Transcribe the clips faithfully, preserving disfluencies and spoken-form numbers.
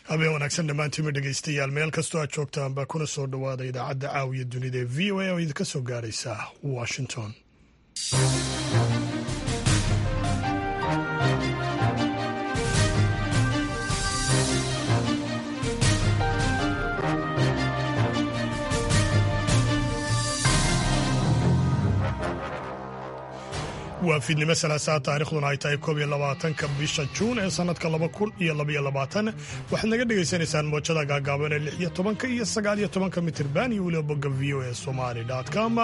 Habeen wanaagsan dhammaantiinba dhegeystayaal, meel kastoo aad joogtaanba, kuna soo dhowaada idaacadda caawiya dunida ee V O A oo idinka soo gaaraysa Washington. Waa fiidnimo Salaasaa, taarikhduna ay tahay koob iyo labaatanka bisha Juun ee sanadka laba kun iyo labaiyo labaatan. Waxaad naga dhagaysanaysaan mowjada gaagaaban ee lix iyo tobanka iyo sagaal iyo tobanka mitirban iyo weliba bogga V O A Somali com.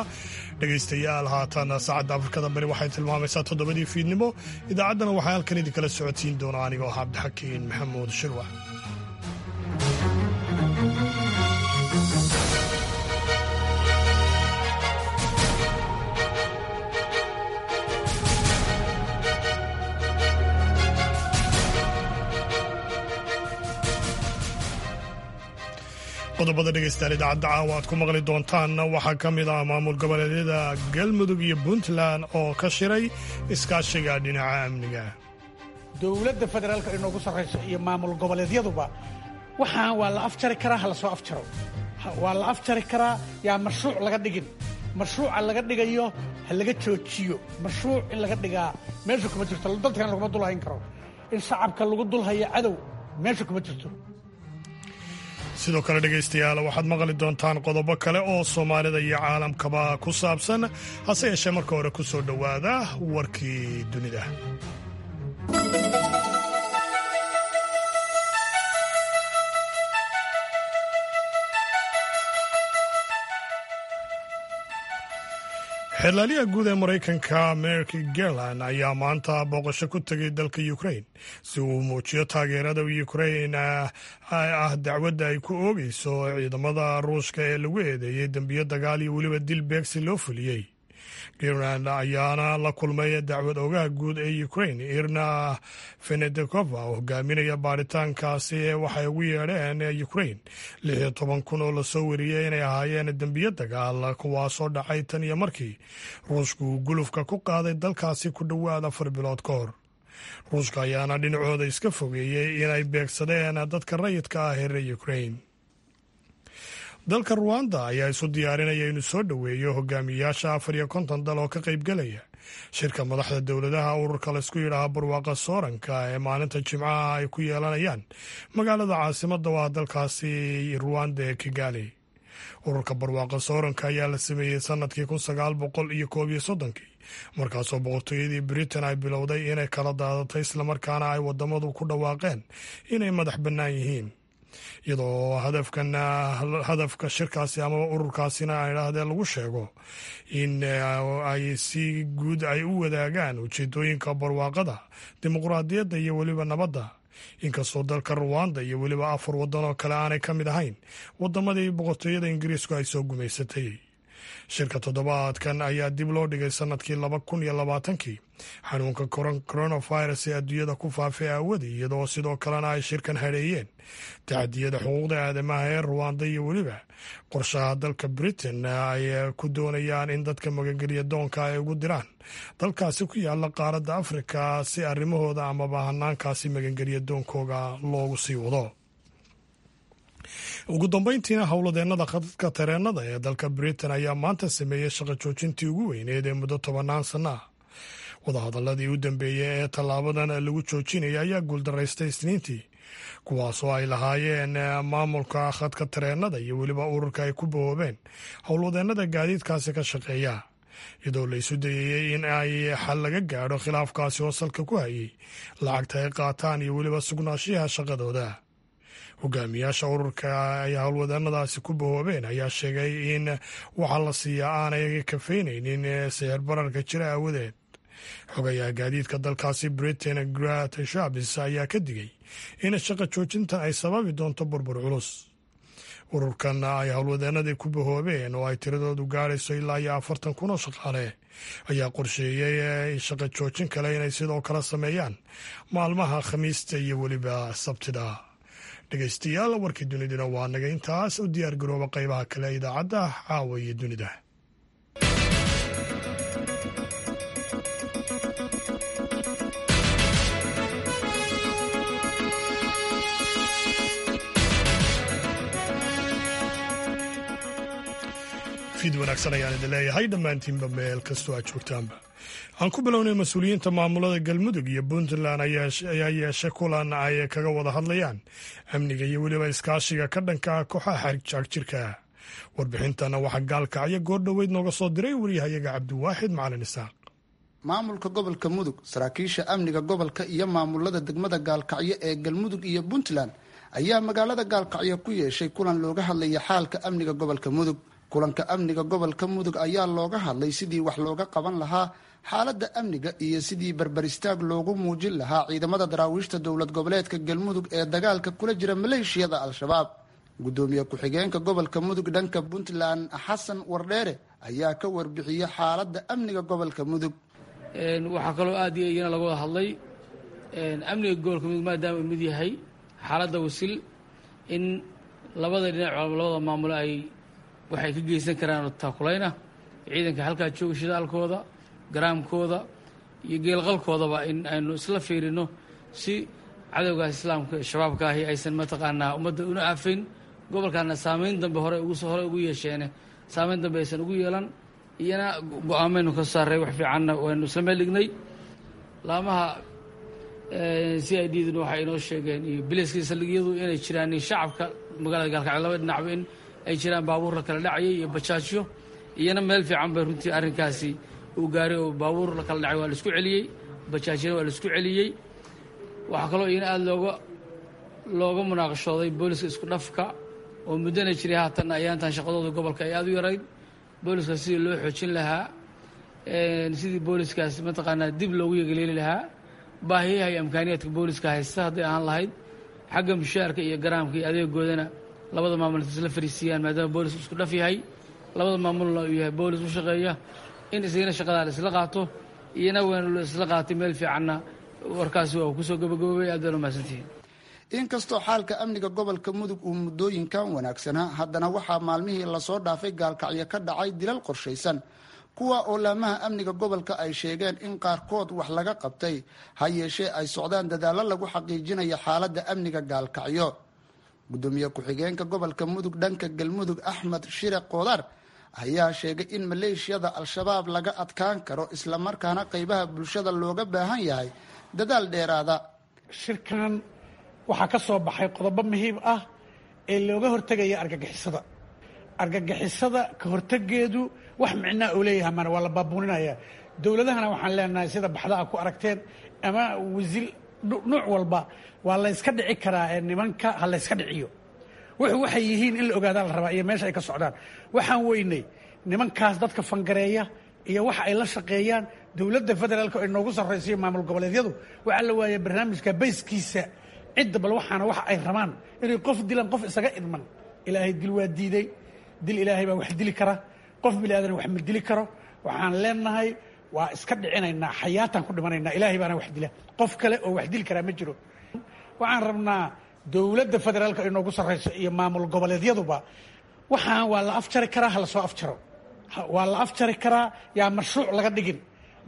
Dhegaystayaal, haatan saacadda Afrikada Bari waxay tilmaamaysaa toddobadii fiidnimo. Idaacaddana waxaa halkan idinkala socodsiin doona anigoo ah Cabdixakiin Maxamuud Shirwax. Qodobada dhegeystayaal idaacadda caawa aad ku maqli doontaanna waxaa ka mid ah maamul goboleedyada Galmudug iyo Puntland oo ka shiray iskaashiga dhinaca amniga. Dowladda federaalka inoogu sarrayso iyo maamul goboleedyaduba waxaan waa la afjari karaa, ha la soo afjaro. Waa la afjari karaa, yaa mashruuc laga dhigin. Mashruuca laga dhigayo ha laga joojiyo. Mashruuc in laga dhigaa meesha kuma jirto. Dadkan laguma dulhayn karo. In shacabka lagu dulhayo cadow meesha kuma jirto. Sidoo kale dhegaystayaal, waxaad maqli doontaan qodobo kale oo Soomaalida iyo caalamkaba ku saabsan, hase yeeshee marka hore ku soo dhowaada warkii dunida. Xeerlaaliyaha guud ee Maraykanka Merrick Garland ayaa maanta booqasho ku tegay dalka Ukraine si uu muujiyo taageerada Ukraine ah dacwadda ay ku oogeyso ciidamada Ruushka ee lagu eedeeyey dembiyo dagaal iyo weliba dil beegsi loo fuliyey. Garland ayaana la kulmay dacwad oogaha guud ee Ukraine Irina Venediktova oo hogaaminaya baaritaankaasi ee waxay ugu yeedheen Ukraine lix iyo toban kun oo lasoo wariyey inay ahaayeen dembiyo dagaal, kuwaasoo dhacay tan iyo markii Ruushku uu gulufka ku qaaday dalkaasi ku dhowaad afar bilood ka hor. Ruushka ayaana dhinacooda iska fogeeyey inay beegsadeen dadka rayidka ah ee reer Ukraine. Dalka Ruwanda ayaa isu diyaarinaya inuu soo dhoweeyo hogaamiyayaasha afar iyo konton dal oo ka qaybgelaya shirka madaxda dowladaha ururka laysku yidhaaha Barwaaqa Sooranka ee maalinta Jimcaha ay ku yeelanayaan magaalada caasimadda oo ah dalkaasi Ruwanda ee Kigali. Ururka Barwaaqa Sooranka ayaa la sameeyey sanadkii kun sagaal boqol iyo koob iyo soddonkii, markaasoo boqortooyadii Britain ay bilowday inay kala daadatay, islamarkaana ay wadamadu ku dhawaaqeen inay madax bannaan yihiin, iyadoo hadafkan hadafka shirkaasi amaba ururkaasina ay idhaahdeen lagu sheego in ay si guud ay u wadaagaan ujeedooyinka barwaaqada, dimuqraadiyadda iyo weliba nabadda, inkastoo dalka Ruwanda iyo weliba afar waddan oo kale aanay ka mid ahayn wadamadii boqortooyada Ingiriisku ay soo gumaysatay. Shirka toddobaadkan ayaa dib loo dhigay sanadkii laba kun iyo labaatankii xanuunka coronavirus ee adduunyada ku faafay aawadii, iyadoo sidoo kalena ay shirkan hadheeyeen tacadiyada xuquuqda aadamaha ee Ruwanda iyo weliba qorshaha dalka Britain ay ku doonayaan in dadka magangeliya doonka ay ugu diraan dalkaasi ku yaala qaaradda Afrika si arrimahooda amaba hanaankaasi magangeliya doonkooga loogu sii wado. Ugu dambeyntiina, howladeennada khadadka tareenada ee dalka Britain ayaa maanta sameeyey shaqo joojintii ugu weyneed ee muddo tobannaan sanno ah. Wadahadaladii u dambeeyey ee tallaabadan lagu joojinaya ayaa guuldaraystay Isniintii, kuwaasoo ay lahaayeen maamulka khadka tareenada iyo weliba ururka ay ku bahoobeen howlwadeennada gaadiidkaasi ka shaqeeya, iyadoo la isu dayayey in ay xal laga gaadho khilaafkaasi oo salka ku hayay lacagta ay qaataan iyo weliba sugnaashiyaha shaqadooda. Hogaamiyaasha ururka ay howlwadeennadaasi ku bahoobeen ayaa sheegay in waxa la siiyaa aanay kafeynaynin sicir bararka jira aawadeed. Xogayaha gaadiidka dalkaasi Britain Grant Shapps ayaa ka digay in shaqa joojintan ay sababi doonto burbur culus. Ururkan ay howlwadeenadii ku bahoobeen oo ay tiradoodu gaarayso ilaa iyo afartan kun oo shaqaale ayaa qorsheeyey shaqa joojin kale inay sidoo kale sameeyaan maalmaha Khamiista iyo weliba Sabtida. Dhegeystayaal, warkii duniduna waa naga intaas. U diyaar garooba qaybaha kale idaacadda caawa iyo dunida. Fiid wanaagsan ayaan idin leeyahay dhammaantiinba meel kastoo aad joogtaanba. Aan ku bilownay, mas-uuliyiinta maamulada Galmudug iyo Puntland ayaa yeeshay kulan ay kaga wada hadlayaan amniga iyo weliba iskaashiga ka dhanka ah kooxaha xagjirka. Warbixintana waxaa Gaalkacyo goordhoweyd nooga soo diray wariyahayaga Cabdiwaaxid Macalin Isaaq. Maamulka gobolka Mudug, saraakiisha amniga gobolka iyo maamulada degmada Gaalkacyo ee Galmudug iyo Puntland ayaa magaalada Gaalkacyo ku yeeshay kulan looga hadlaya xaalka amniga gobolka Mudug. Kulanka amniga gobolka Mudug ayaa looga hadlay sidii wax looga qaban lahaa xaaladda amniga iyo sidii barbaristaag loogu muujin lahaa ciidamada daraawiishta dowlad goboleedka Galmudug ee dagaalka kula jira maleeshiyada Al-Shabaab. Gudoomiye ku-xigeenka gobolka Mudug dhanka Puntland, Xasan Wardheere, ayaa ka warbixiyey xaaladda amniga gobolka Mudug. Waxaa kaloo aad iyo iyana laga wada hadlay amniga gobolka Mudug, maadaama uu mid yahay xaaladda wasil, in labada dhinac, labada maamulo ay waxay ka geysan karaan taakulayna ciidanka halkaa jooga, shidaalkooda, garaamkooda iyo geelqalkoodaba in aynu isla fiirino, si cadowgaas Islaamka Shabaabka ahi aysan mataqaanaa ummadda una aafayn, gobolkaana saameyn dambe hore ugu hore ugu yeesheene saameyn dambe aysan ugu yeelan. Iyana go-aamaynu ka saaray, wax fiicanna waynu isla meel dhignay. Laamaha C I D duna waxay inoo sheegeen iyo biliska saldhigyadu inay jiraan shacabka magaalada Gaalkacyo laba dhinacba in ay jiraan baabuur la kala dhacayay iyo bajaajyo. Iyana meel fiican bay runtii arrinkaasi uu gaaray, oo baabuur la kala dhacay waa la isku celiyey, bajaajyana waa la isku celiyey. Waxaa kaloo iyana aada looga looga munaaqashooday booliska isku dhafka oo muddana jiray, haatan ayaantan shaqadooda gobolka ay aada u yarayd, booliska sidii loo xoojin lahaa, sidii booliskaas mataqaanaa dib loogu yegeleeli lahaa, baahiyaha iyo amkaaniyaadka booliska haysta hadday ahaan lahayd xagga mushaarka iyo garaamka iyo adeegoodana, labada maamul inta isla fariisiiyaan, maadaama boolis isku dhaf yahay, labada maamulna uu yahay boolis u shaqeeya, in isagana shaqadaa la isla qaato. Iyana waana la isla qaatay, meel fiicanna warkaasi waa kusoo gabagaboobay. Aad baan umahadsantihiin. Inkastoo xaalka amniga gobolka Mudug uu muddooyinkan wanaagsanaa, haddana waxaa maalmihii lasoo dhaafay Gaalkacyo ka dhacay dilal qorshaysan, kuwa oo laamaha amniga gobolka ay sheegeen in qaarkood wax laga qabtay, ha yeeshee ay socdaan dadaallo lagu xaqiijinayo xaaladda amniga Gaalkacyo. Gudoomiye ku-xigeenka gobolka Mudug dhanka Galmudug, Axmed Shire Qoodar, ayaa sheegay in maleeshiyada Al-Shabaab laga adkaan karo, islamarkaana qaybaha bulshada looga baahan yahay dadaal dheeraada. Shirkan waxaa ka soo baxay qodobo muhiim ah ee looga hortegaya argagixisada. Argagixisada ka hortegeedu wax micnaa uu leeyahay mana waa la baabuuninaya. Dowladahana waxaan leenahay, sida baxda a ku aragteen ama wasiil nuuc walba, waa la yska dhici karaa ee nimanka ha la yska dhiciyo. Wuxuu waxay yihiin in la ogaadaa la rabaa iyo meesha ay ka socdaan. Waxaan weynay nimankaas dadka fangareeya iyo waxa ay la shaqeeyaan dowladda federaalka ay noogu sarraysiyo maamul goboleedyadu. Waxaa la waaya barnaamijka bayskiisa cidda bal waxaana waxa ay rabaan inay qof dilaan, qof isaga idman. Ilaahay dil waa diiday, dil Ilaahay baa wax dili kara, qof bini aadan wax ma dili karo. Waxaan leenahay waa iska dhicinaynaa, xayaataan ku dhimanaynaa, Ilaahay baana wax dila, qof kale oo wax dili karaa ma jiro. Waxaan rabnaa dowladda federaalka ay noogu sarrayso iyo maamul goboleedyaduba, waxaan waa la afjari karaa, ha lasoo afjaro. Waa la afjari karaa, yaa mashruuc laga dhigin.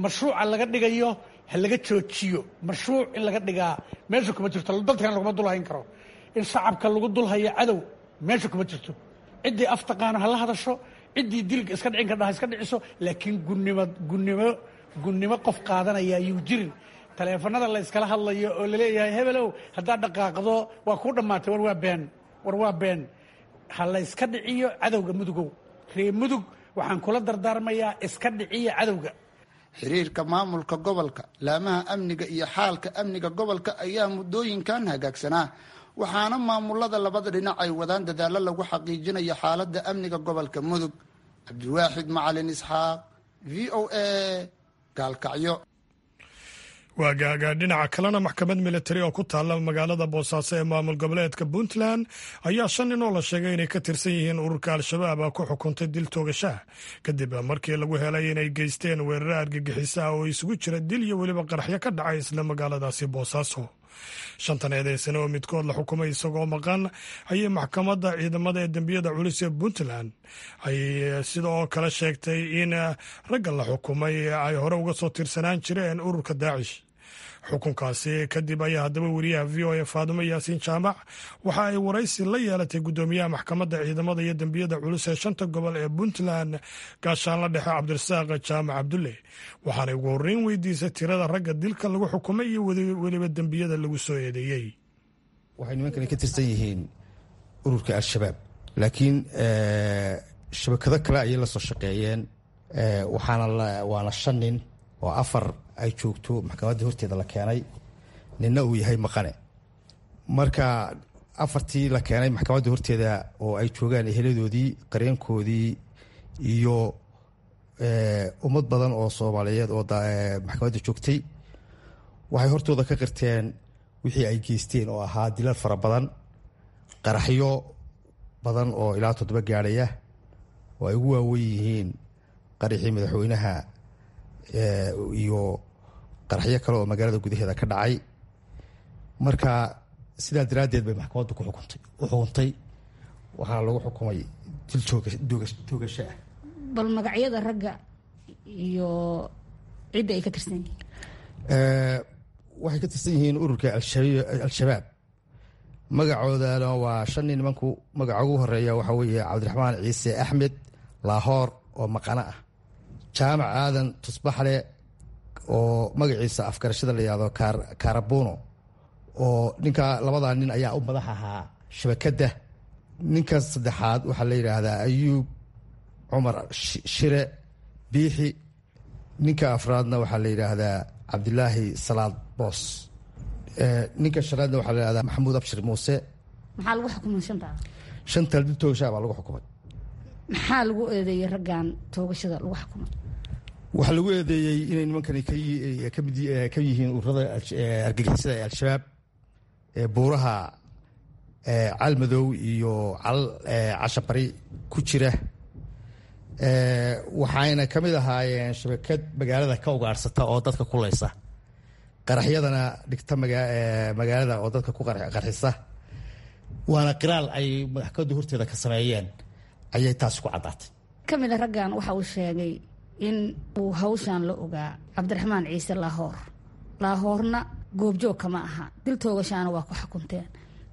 Mashruuca laga dhigayo ha laga joojiyo. Mashruuc in laga dhigaa meesha kuma jirto, dadkan laguma dulhayn karo. In shacabka lagu dulhayo cadow meesha kuma jirto. Ciddii af taqaano ha la hadasho, ciddii dilka iska dhicin kardha ha iska dhiciso, laakiin gunnimo gunnimo gunnimo qof qaadanaya yuu jirin. Taleefanada la yskala hadlayo oo laleeyahay hebelow haddaad dhaqaaqdo waa kuu dhammaatay, war waa been, war waa been. Ha la yska dhiciyo cadowga. Mudugow, ree Mudug, waxaan kula dardaarmayaa iska dhiciya cadowga. Xiriirka maamulka gobolka, laamaha amniga iyo xaalka amniga gobolka ayaa muddooyinkan hagaagsanaa, waxaana maamulada labada dhinac ay wadaan dadaallo lagu xaqiijinayo xaaladda amniga gobolka Mudug. Cabdiwaaxid Macalin Isxaaq, V O A, Gaalkacyo. Waagaaga. Dhinaca kalena, maxkamad militari oo ku taalla magaalada Boosaaso ee maamul goboleedka Puntland ayaa shan nin oo la sheegay inay ka tirsan yihiin ururka Al-Shabaab ku xukuntay dil toogashaah, kadib markii lagu helay inay geysteen weeraro argagixisa ah oo isugu jira dil iyo weliba qaraxyo ka dhacay isla magaaladaasi Boosaaso. Shantan eedeysane oo midkood la xukumay isagoo maqan ayay maxkamadda ciidamada ee dembiyada culus ee Puntland ay sidoo kale sheegtay in ragga la xukumay ay hore uga soo tirsanaan jireen ururka Daacish. Xukunkaasi kadib ayaa haddaba weriyaha V O A Faadumo Yaasiin Jaamac waxa ay waraysi la yeelatay guddoomiyaha maxkamadda ciidamada iyo dembiyada culus ee shanta gobol ee Puntland, gaashaanla dhexe Cabdirasaaq Jaamac Cabdulle, waxaanay ugu horreyn weydiisay tirada ragga dilka lagu xukumay iyo weliba dembiyada lagu soo eedeeyey. Waxay nimankani ka tirsan yihiin ururka Al-Shabaab, laakiin shabakado kale ayay la soo shaqeeyeen. Waxaana waana shan nin oo afar ay joogto maxkamadda horteeda la keenay, ninna uu yahay maqane. Marka afartii la keenay maxkamadda horteeda oo ay joogaan eheladoodii, qareenkoodii iyo ummad badan oo Soomaaliyeed oo maxkamadda joogtay, waxay hortooda ka qirteen wixii ay geysteen oo ahaa dilal fara badan, qaraxyo badan oo ilaa toddoba gaadhaya oo ay ugu waaweyn yihiin qaraxii madaxweynaha iyo qaraxyo kale oo magaalada gudaheeda ka dhacay. Marka sidaa daraaddeed bay maxkamaddu ku xukuntay u xukuntay, waxaana lagu xukumay dil toogasho ah. Bal magacyada ragga iyo cidda ay ka tirsan yihiin? Waxay ka tirsan yihiin ururka Al-Shabaab. Magacoodana waa shan nin. Nimanku magaca ugu horeeya waxaa weeye Cabdiraxmaan Ciise Axmed Laahoor oo maqano ah, Jaamac Aadan Tusbaxle oo magaciisa afgarashada la yihahdo Karabuno, oo ninka labadaa nin ayaa u madax ahaa shabakadda. Ninka saddexaad waxaa la yidhaahdaa Ayuub Cumar Shire Biixi. Ninka afraadna waxaa la yidhaahdaa Cabdilaahi Salaad Boos. Ninka shanaadna waxaa la yihahdaa Maxamuud Abshir Muuse. Maxaa lagu xukumay shantaa? Shantaa dil toogashaa baa lagu xukumay. Maxaa lagu eedeeyey raggan toogashada lagu xukumay? Waxaa lagu eedeeyey inay nimankani kamid ka yihiin ururada argagixisada ee Al-Shabaab ee buuraha Calmadow iyo cal Cashabari ku jira. Waxayna ka mid ahaayeen shabakad magaalada ka ugaadhsata oo dadka kuleysa, qaraxyadana dhigta magaalada oo dadka ku qarxisa. Waana qiraal ay maxkamadda horteeda ka sameeyeen ayay taasi ku caddaatay. Ka mid a raggan waxa uu sheegay in uu hawshan la ogaa Cabdiraxmaan Ciise Laahoor. Laahoorna goobjoog kama aha, dil toogashaana waa ku xukunteen.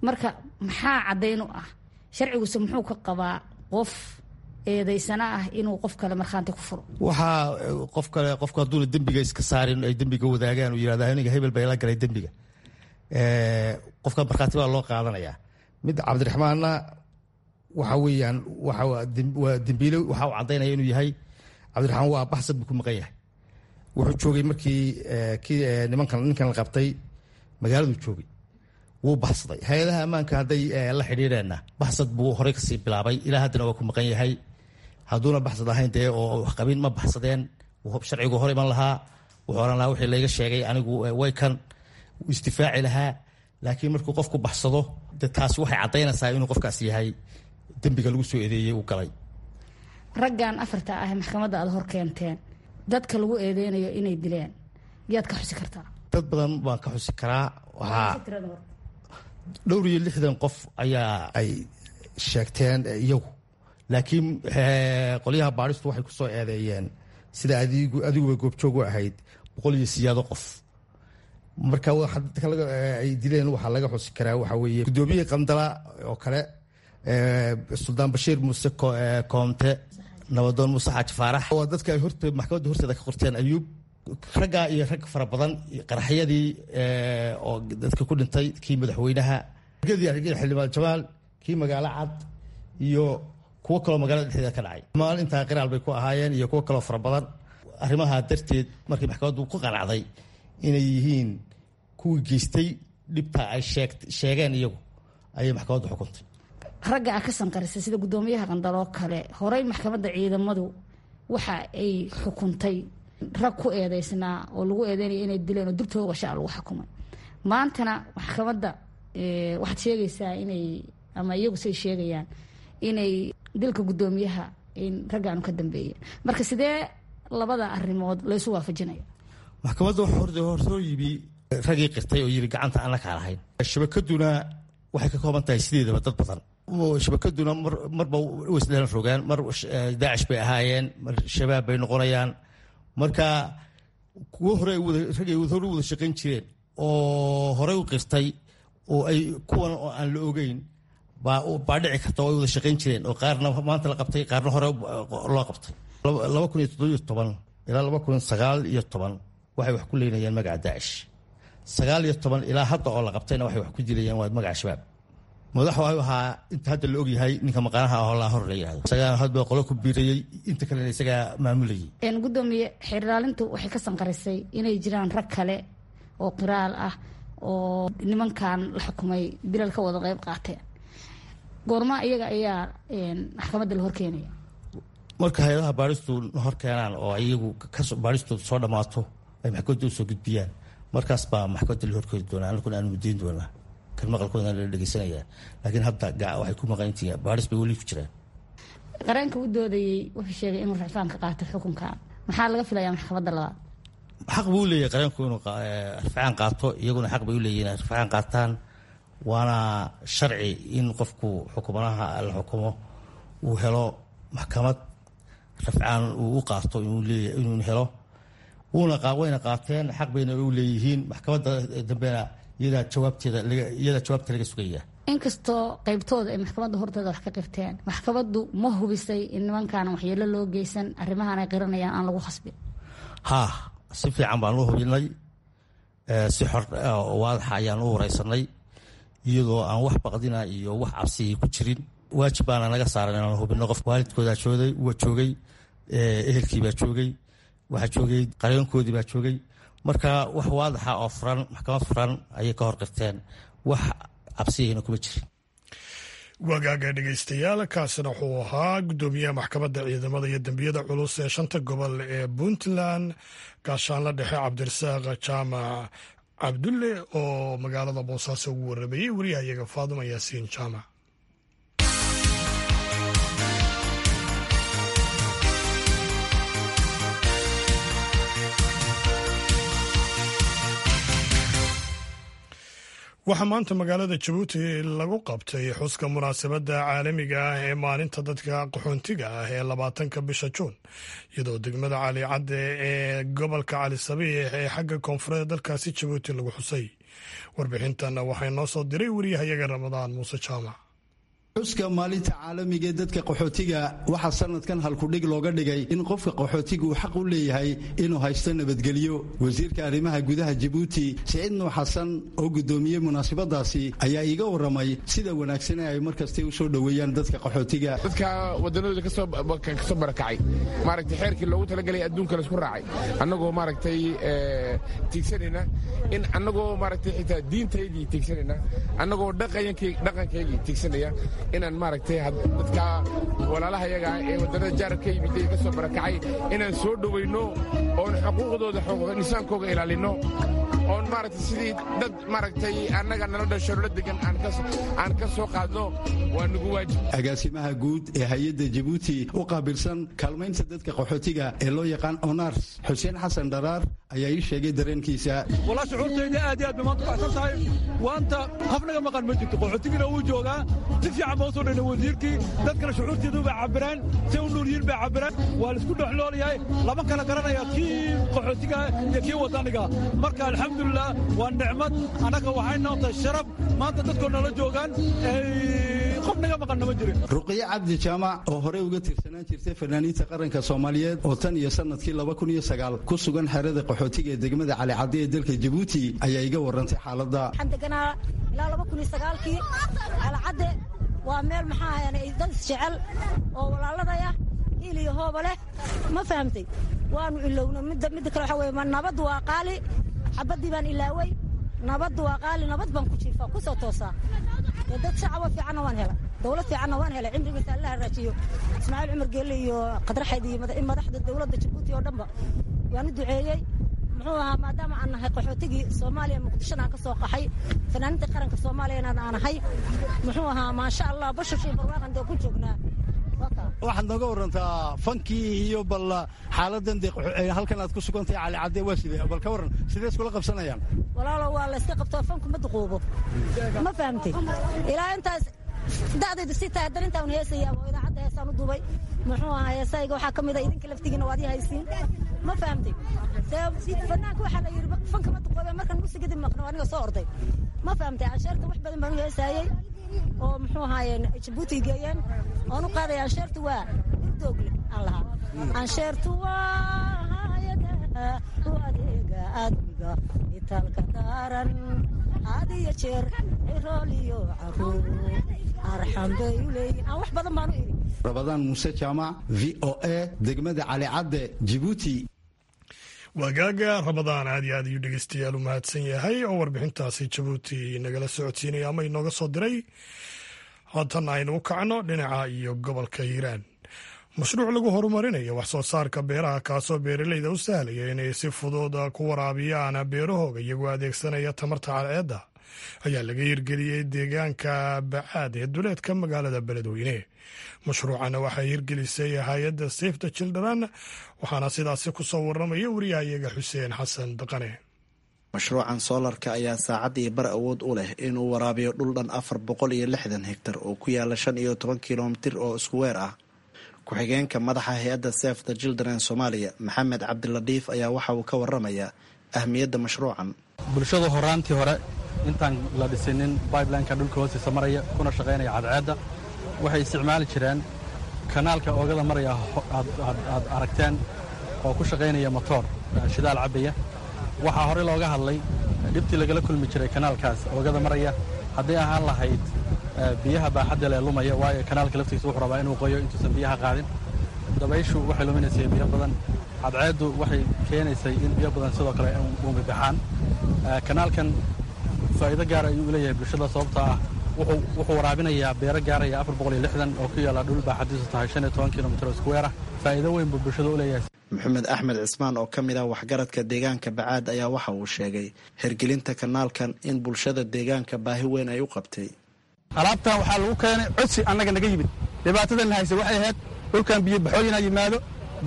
Marka maxaa caddayn u ah, sharciguse muxuu ka qabaa qof eedaysana ah inuu qof kale markhaanti ku furo? Waxaa qof kale, qofku hadduuna dembiga iska saarin, ay dembiga wadaagaan, uu yihahda aniga hebel baa ila galay dembiga, qofka markhaati baa loo qaadanayaa. Mid Cabdiraxmaanna waxa weeyaan waa dembiile, waxa uu caddaynaya inuu yahay Cabdiraxmaan waa baxsad buu ku maqan yahay. Wuxuu joogay markii kii nimankan ninkan la qabtay magaaladuu joogay, wuu baxsaday. Hay-adaha ammaanka hadday la xidhiidheenna baxsad buu horey kasii bilaabay, ilaa haddana waa ku maqan yahay. Hadduuna baxsad ahayn dee oo wax qabin ma baxsadeen, sharcigu hor iman lahaa, wuxuu oran lahaa wixii layga sheegay anigu way kan isdifaaci lahaa. Laakiin markuu qofku baxsado de taasi waxay caddaynaysaa inuu qofkaas yahay dembiga lagu soo eedeeyey uu galay. Raggan afarta ah maxkamadda aada hor keenteen, dadka lagu eedeynayo inay dileen yaad ka xusi kartaa? Dad badan baan ka xusi karaa. Waxaa dhowr iyo lixdan qof ayaa ay sheegteen iyagu, laakiin qolyaha baadhistu waxay ku soo eedeeyeen sida adigu adiguba goobjoog u ahayd boqol iyo siyaado qof. Marka dadka ay dileen waxaa laga xusi karaa waxaa weeye guddoomiyihii Qandala oo kale, Suldaan Bashiir Muuse Koomte, Nabadoon Muuse Xaaji Faarax, waa dadka ay horte maxkamadda horteeda ka qorteen Ayuub. Raggaa iyo rag fara badan, qaraxyadii oo dadka ku dhintay, kii madaxweynaha, xildhibaan Jamaal, kii magaalo cad iyo kuwo kaloo magaalada dhexdeeda ka dhacay, maalintaa qiraal bay ku ahaayeen iyo kuwo kaloo fara badan. Arrimaha darteed markii maxkamaddu ku qanacday inay yihiin kuwii geystay dhibta ay sheegeen iyagu, ayay maxkamaddu xukuntay. Ragga a ka sanqarisay sida guddoomiyaha Qandaloo kale, horey maxkamadda ciidamadu waxa ay xukuntay rag ku eedeysnaa oo lagu eedeynaya inay dileen oo dib toogashaa lagu xukumay. Maantana maxkamadda waxaad sheegaysaa inay ama iyagu say sheegayaan inay dilka guddoomiyaha in raggaanu ka dambeeyeen. Marka sidee labada arrimood laysu waafajinaya? Maxkamadda horsoo yimi raggii qirtay oo yiri gacanta aan la kaalahayn. Shabakaduna waxay ka kooban tahay sideedaba dad badan. Shabakaduna marba waisdhelan rogaan, mar Daacish bay ahaayeen, mar Shabaab bay noqonayaan. Marka Kuwo hore rag ay hore u wada shaqayn jireen oo horey u qirtay oo ay kuwan oo aan la ogeyn baa dhici karta oo ay wada shaqayn jireen, oo qaarna maanta la qabtay, qaarna hore loo qabtay. laba kun iyo toddobiyo toban ilaa laba kun sagaal iyo toban waxay wax ku leynayeen magaca Daacish. Sagaal iyo toban ilaa hadda oo la qabtayna waxay wax ku dilayeen waa magaca Shabaab. Madax waxuu ahaa inta hadda la ogyahay ninka maqaanaha ah oo laa hor la yihahdo, isagaa hadba qolo ku biirayey, inta kalena isagaa maamulayay. Gudoomiye, xeerlaalintu waxay ka sanqarisay inay jiraan rag kale oo qiraal ah oo nimankan la xukumay dilal ka wada qayb qaateen. Goorma iyaga ayaa maxkamadda la horkeenaya? Marka hay-adaha baaristu hor keenaan oo iyagu baaristoodu soo dhammaato ay maxkamadda usoo gudbiyaan, markaas baa maxkamadda la horkeeni doonaa, anaguna aanu mudayn doonaa kan maqalkoodan la dhegeysanayaa. Laakiin hadda waxay ku maqantihiin baaris bay weli ku jiraan. Qareenka u doodayey wuxuu sheegay inuu racfaan ka qaato xukunka. Maxaa laga filayaa maxkamadda labaad? Xaq buu u leeyahay qareenku inuu rafcaan qaato, iyaguna xaq bay u leeyihin inay rafcaan qaataan. Waana sharci in qofku xukumanaha la xukumo uu helo maxkamad rafcaan uu u qaato inuu helo. Wuuna wayna qaateen, xaq bayna u leeyihiin. Maxkamadda dambena iyadaa jawaabteeda iyadaa jawaabta laga sugaya. Inkastoo qaybtooda ay maxkamadda horteeda wax ka qirteen, maxkamaddu ma hubisay in nimankaana waxyeelo loo geysan, arrimahan ay qiranayaan aan lagu khasbin? Haa, si fiican baan u hubinay, si xor waadaxa ayaan u wareysanay, iyadoo aan wax baqdina iyo wax cabsiya ku jirin. Waajib baana naga saaran inaan hubino. Qof waalidkoodaa joogay, waa joogay, ehelkii baa joogay, waxaa joogay qareenkoodii baa joogay. Marka wax waadaxa oo furan, maxkamad furan ayay ka hor qirteen, wax cabsiyahina kuma jirin. Wagaaga dhegeystayaal, kaasina wuxuu ahaa guddoomiyaha maxkamadda ciidamada iyo dembiyada culus ee shanta gobol ee Puntland, gaashaanla dhexe Cabdirasaaq Jaamac Cabdulle, oo magaalada Boosaaso ugu waramayey wariyahayaga Faaduma Yaasiin Jaamac. Waxaa maanta magaalada Jabuuti lagu qabtay xuska munaasabadda caalamiga ah ee maalinta dadka qaxoontiga ah ee labaatanka bisha Juun, iyadoo degmada Cali Cadde ee gobolka Cali Sabiix ee xagga koonfureed dalkaasi Jabuuti lagu xusay. Warbixintan waxay noo soo diray wariyahayaga Ramadaan Muuse Jaamac. Xuska maalinta caalamiga ee dadka qaxootiga waxaa sanadkan halkudhig looga dhigay in qofka qaxootiga uu xaq u leeyahay inuu haysto nabadgelyo. Wasiirka arrimaha gudaha Jabuuti Siciid Nuux Xasan oo gudoomiyey munaasabadaasi ayaa iiga waramay sida wanaagsan ee ay markasta u soo dhoweeyaan dadka qaxootiga. Dadka wadanadooda kasoo kasoo barakacay, maaragtay, xeerkii loogu talagalay adduunka laisku raacay, annagoo maaragtay tiigsanayna in annagoo maaragtay xitaa diintaydii tiigsanayna, annagoo dhaqankaygii tiigsanaya, inaan maaragtay dadka walaalahayaga ee waddannada jaarka yimid ee ka soo barakacay inaan soo dhowayno, oon xuquuqdooda, xuquuq insaankooga ilaalinno, oon maaragtay sidii dad maaragtay annaga nala dhasho la degan aan ka soo qaadno waa nagu waajib. Agaasimaha guud ee hay-adda Jabuuti u qaabilsan kaalmaynta dadka qaxootiga ee loo yaqaan ONARS, Xuseen Xasan Dharaar, ayaa ii sheegay dareenkiisa. Walaa, shucuurtayda aad iyo aad bay maanta baxsan tahay. Waanta qof naga maqan ma jirto, qaxootigina wuu joogaa. Si fiican baa usoo dhayna wasiirkii, dadkana shucuurteedu bay cabireen, say u nool yihiin bay cabireen. Waa laisku dhexloolayahay, lama kala garanaya kii qaxootiga iyo kii wadaniga. Marka alxamdulilah, waa nicmad, annaga waxay noo tahay sharaf maanta dadkoo nala joogaan, qof naga maqanna ma jirin. Ruqiye Cabdi Jaamac oo horey uga tirsanaan jirtay fanaaniinta qaranka Soomaaliyeed oo tan iyo sanadkii laba kun iyo sagaal ku sugan xerada qaxootiga ee degmada Cali Cadde ee dalka Jabuuti ayaa iga warantay xaaladda. Waxaan deganaa ilaa laba kun iyo sagaalkii Cali Cadde. Waa meel maxaa ahayn dad isjecel oo walaaladaya, hiil iyo hooba leh, ma fahamtay? Waanu ilowna. Midda midda kale waxa weeye nabaddu waa qaali. Xabaddii baan ilaaway, nabaddu waa qaali. Nabad baan ku jiifaa, ku soo toosaa. Dad shacabo fiicanna waan helay, dowlad fiicanna waan helay. Cimrigiisa alla haraajiyo Ismaaciil Cumar Geelle iyo Qadraxayd iyo madaxda dowladda Jabuuti oo dhanba waan u duceeyey. Muxuu ahaa, maadaama aan nahay qaxootigii Soomaaliya, Muqdishona aan ka soo qaxay, fanaaniinta qaranka Soomaaliyana aan ahay, muxuu ahaa, maasha Allah, bashashii barwaaqan dee ku joognaa. Waxaad nooga warantaa fankii iyo bal xaaladan dee halkan aad ku sugantahay Cali Cadde waa sidee? Bal ka waran, sidee iskula qabsanayaan? Walaalo, waa la iska qabtaa, fanku ma duquubo, ma fahamtay? Ilaa intaas da'daydu sii tahay haddana intaan heesaya oo idaacadda heesaan u duubay, Muxuu ahaa heesayga waxaa ka mid a idinka laftigiina waad ii haysiin, ma fahamtay? Fanaanka waxaa la yidhi fanka ma duqoobe, markan muusigadi maqno aniga soo orday, ma fahamtay? Ansheerta wax badan baan u heesaayey oo muxuu ahaayeen Jabuuti geeyeen oon u qaaday. Ansheertu waa durdoogle aan lahaa, ansheertu waa hayada u adeega aadmiga itaalka daaran, had iyo jeer cirool iyo caruur arxam bay u leeyihin, aan wax badan baan u idhi. Rabadaan Muuse Jaamac, V O A, degmada Calicadde, Jibuuti. Waagaaga Ramadaan aad iyo aad ayuu dhegeystayaal u mahadsan yahay oo warbixintaasi Jabuuti nagala socodsiinaya ama inooga soo diray. Haatan aynu u kacno dhinaca iyo gobolka Hiiraan. Mashruuc lagu horumarinayo wax soo saarka beeraha, kaasoo beeraleyda u sahlaya inay si fudud ku waraabiyaan beerahooga iyagoo adeegsanaya tamarta cadceedda, ayaa laga hirgeliyey deegaanka Bacaad ee duleedka magaalada Beledweyne. Mashruucana waxaa hirgelisay hay-adda Save the Children, waxaana sidaasi ku soo waramaya wariyahayaga Xuseen Xasan Daqane. Mashruucan soolarka ayaa saacad iyo bar awood u leh inuu waraabiyo dhul dhan afar boqol iyo lixdan hektar oo ku yaala shan iyo toban kilomitir oo iskuweer ah. Ku-xigeenka madaxa hay-adda Save the Children Soomaaliya, Maxamed Cabdiladiif, ayaa waxa uu ka waramayaa ahmiyadda mashruucan. Bulshada horaantii hore intaan la dhisinin bibelineka dhulka hoostiisa maraya kuna shaqaynaya cadceedda, waxay isticmaali jireen kanaalka oogada maraya aad aragteen oo ku shaqaynaya motoor shidaal cabbaya. Waxaa horey looga hadlay dhibtii lagala kulmi jiray kanaalkaas oogada maraya, hadday ahaan lahayd biyaha baaxadda lee lumaya, waayo kanaalka laftiisa wuxuu rabaa inuu qoyo intuusan biyaha qaadin. Dabayshu waxay luminaysay biyo badan, cadceeddu waxay keenaysay in biyo badan sidoo kale uumibaxaan. Kanaalkan faa'iido gaara ayuu u leeyahay bulshada, sababtoo ah wuxuu waraabinayaa beero gaaraya afar boqol iyo lixdan oo ku yaalla dhul baaxadiisu tahay shan iyo toban kilomitir oo iskuweer ah. Faa'iido weyn buu bulshada u leeyahay. Maxamed Axmed Cismaan oo ka mid ah waxgaradka deegaanka Bacaad ayaa waxa uu sheegay hirgelinta kanaalkan in bulshada deegaanka baahi weyn ay u qabtay. Alaabtan waxaa lagu keenay codsi annaga naga yimid. Dhibaatadan hayse waxay ahayd dhulkan biyo baxooyinaa yimaado,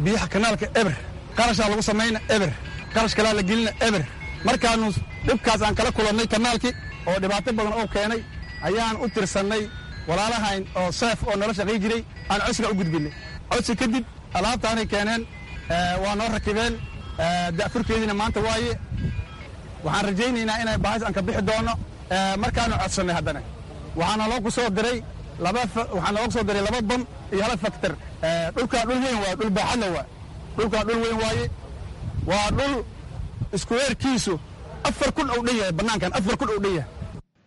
biyaha kanaalka eber, qarashaa lagu samayna eber, qarash kalaa la gelina eber. Markaannu dhibkaas aan kala kulannay kanaalkii oo dhibaato badan oo keenay, ayaan u tirsannay walaalahayn oo seef oo nala shaqay jiray, aan codsiga u gudbinay. Codsi kadib alaabtaanay keeneen, waa noo rakibeen, da'furkeediina maanta waaye. Waxaan rajaynaynaa inay baahis aan ka bixi doonno. Markaannu codsannay haddana waxaana loo ku soo diray laba waxaa noogu soo diray laba bam iyo hal faktor. Dhulkaa dhul weyn waaye, dhul baaxadla waaye, dhulkaa dhul weyn waaye, waa dhul iskuweerkiisu afar kun ou dhan yahay, bannaankan afar kun ou dhan yahay.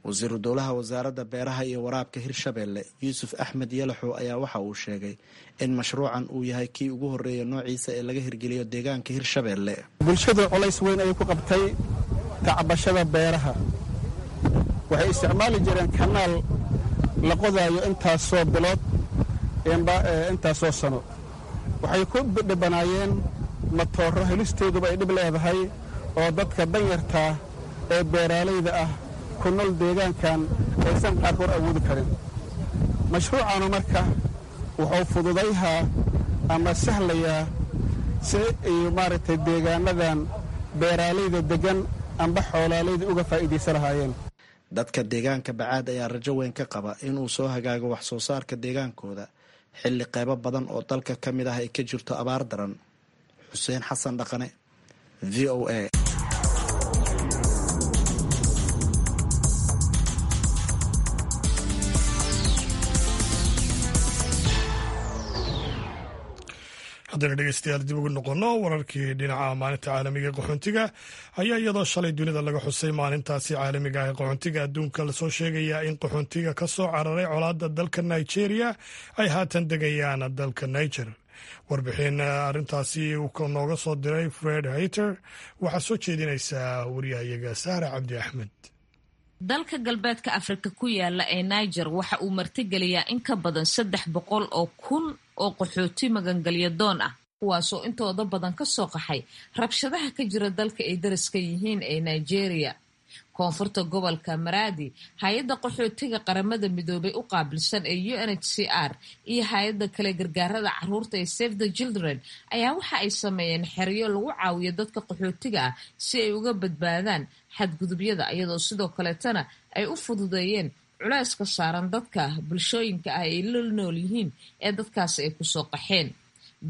Wasiiru dowlaha wasaaradda beeraha iyo waraabka Hirshabeelle, Yuusuf Axmed Yalaxow, ayaa waxa uu sheegay in mashruucan uu yahay kii ugu horreeya noociisa ee laga hirgeliyo deegaanka Hirshabeelle. Bulshadu culays weyn ayay ku qabtay tacbashada beeraha. Waxay isticmaali jireen kanaal la qodaayo intaasoo bilood, intaasoo sano. Waxay ku dhibanaayeen matooro helistooduba ay dhib leedahay oo dadka danyartaa ee beeraalayda ah ku nool deegaankan aysan qaarkood awoodi karin. Mashruucanu marka wuxuu fududayhaa ama sahlayaa si ay maaragtay deegaanadan beeraalayda deggan amba xoolaalayda uga faa'iidaysan lahaayeen. Dadka deegaanka Bacaad ayaa rajo weyn ka qaba inuu soo hagaago wax soo saarka deegaankooda xilli qaybo badan oo dalka ka mid ah ay ka jirto abaar daran. Xuseen Xasan Dhaqane, V O A. Haddaynu dhegeystayaal dib ugu noqonno wararkii dhinaca maalinta caalamiga ee qaxoontiga, ayaa iyadoo shalay dunida laga xusay maalintaasi caalamiga ah ee qaxoontiga adduunka, lasoo sheegayaa in qaxoontiga ka soo cararay colaadda dalka Nigeria ay haatan degayaan dalka Niger. Warbixin arrintaasi uu nooga soo diray Fred Hayter waxaa soo jeedinaysaa wariyahayaga Sahra Cabdi Axmed. Dalka galbeedka Afrika ku yaala ee Niger waxa uu martigeliyaa in ka badan saddex boqol oo kun oo qaxooti magangelya doon ah, kuwaasoo intooda badan ka soo qaxay rabshadaha ka jira dalka ay dariska yihiin ee Nigeria. Koonfurta gobolka Maradi, hay-adda qaxootiga Qaramada Midoobay u qaabilsan ee U N H C R iyo hay-adda kale gargaarada caruurta ee Save the Children ayaa waxa ay sameeyeen xeryo lagu caawiyo dadka qaxootiga ah si ay uga badbaadaan xadgudubyada, iyadoo sidoo kaleetana ay u fududeeyeen culayska saaran dadka bulshooyinka ah ay la nool yihiin ee dadkaasi ay kusoo qaxeen.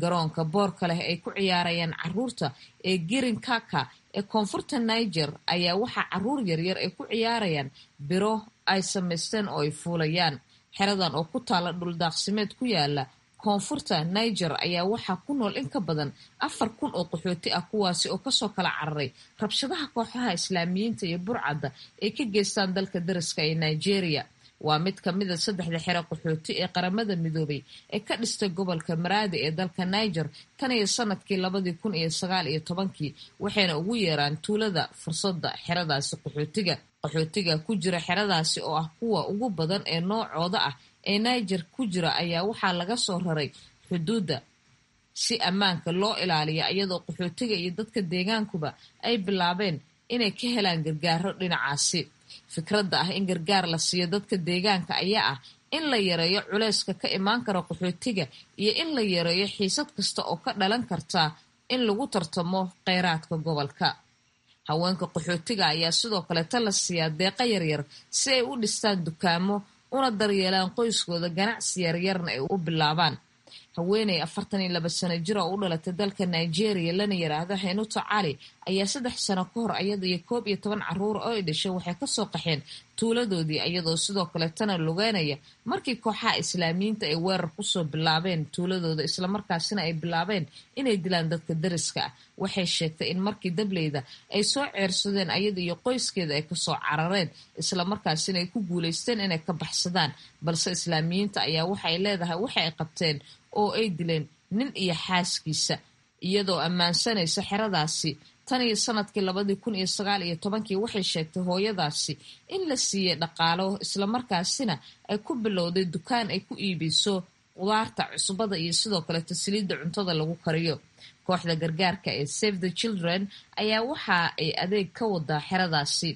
Garoonka boorka leh ay ku ciyaarayaan caruurta ee Girin Kaka ee koonfurta Niger ayaa waxaa caruur yaryar ay ku ciyaarayaan biro ay samaysteen oo ay fuulayaan. Xeradan oo ku taala dhuldaaqsimeed ku yaala koonfurta Niger ayaa waxaa ku nool in ka badan afar kun oo qaxooti ah, kuwaasi oo kasoo kala cararay rabshadaha kooxaha islaamiyiinta iyo burcadda ay ka geystaan dalka dariska ee Nigeria. Waa mid ka mid a saddexda xero qaxooti ee Qaramada Midoobay ee ka dhistay gobolka Maraadi ee dalka Niger tan iyo sanadkii labadii kun iyo sagaal iyo tobankii, waxayna ugu yeeraan tuulada fursadda xeradaasi qaxootiga. Qaxootiga ku jira xeradaasi oo ah kuwa ugu badan ee noocooda ah ee Niger ku jira ayaa waxaa laga soo raray xuduudda si ammaanka loo ilaaliya, iyadoo qaxootiga iyo dadka deegaankuba ay bilaabeen inay ka helaan gargaaro dhinacaasi. Fikradda ah in gargaar la siiyo dadka deegaanka ayaa ah in la yareeyo culayska ka imaan kara qaxootiga iyo in la yareeyo xiisad kasta oo ka dhalan karta in lagu tartamo kheyraadka gobolka. Haweenka qaxootiga ayaa sidoo kale ta la siiyaa deeqa yaryar si ay u dhistaan dukaamo una daryeelaan qoyskooda, ganacsi yaryarna ay u bilaabaan. Haweeney afartan iyo laba sano jir oo u dhalatay dalka Nigeria lana yiraahdo Henuta Cali ayaa saddex sano ka hor iyada iyo koob iyo toban caruur oo ay dhashay waxay kasoo qaxeen tuuladoodii, iyadoo sidoo kale tana lugeynaya markii kooxaha islaamiyiinta ay weerar kusoo bilaabeen tuuladooda, islamarkaasina ay bilaabeen inay dilaan dadka dariska ah. Waxay sheegtay in markii dableyda ay soo ceersadeen ayada iyo qoyskeeda ay kasoo carareen, islamarkaasina ay ku guuleysteen inay ka baxsadaan, balse islaamiyiinta ayaa waxay leedahay waxa ay qabteen oo ay dileen nin iyo xaaskiisa. Iyadoo ammaansanaysa xeradaasi tan iyo sanadkii labadii kun iyo sagaal iyo tobankii, waxay sheegtay hooyadaasi in la siiyey dhaqaalo, islamarkaasina ay ku bilowday dukaan ay ku iibiso qudaarta, cusbada iyo sidoo kaleto saliidda cuntada lagu kariyo. Kooxda gargaarka ee Save the Children ayaa waxa ay adeeg ka wadaa xeradaasi.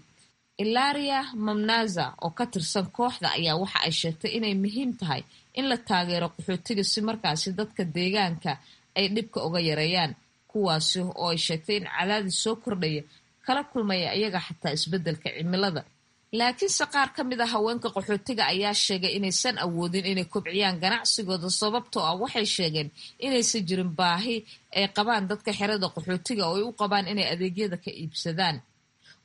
Ilaria Mamnaza oo ka tirsan kooxda ayaa waxa ay sheegtay inay muhiim tahay in la taageero qaxootiga si markaasi dadka deegaanka ay dhibka uga yareeyaan, kuwaasi oo ay sheegtay in cadaadis soo kordhaya kala kulmaya iyaga xataa isbeddelka cimilada. Laakiinse qaar ka mid a haweenka qaxootiga ayaa sheegay inaysan awoodin inay kobciyaan ganacsigooda, sababtoo ah waxay sheegeen inaysan jirin baahi ay qabaan dadka xerada qaxootiga oo ay u qabaan inay adeegyada ka iibsadaan.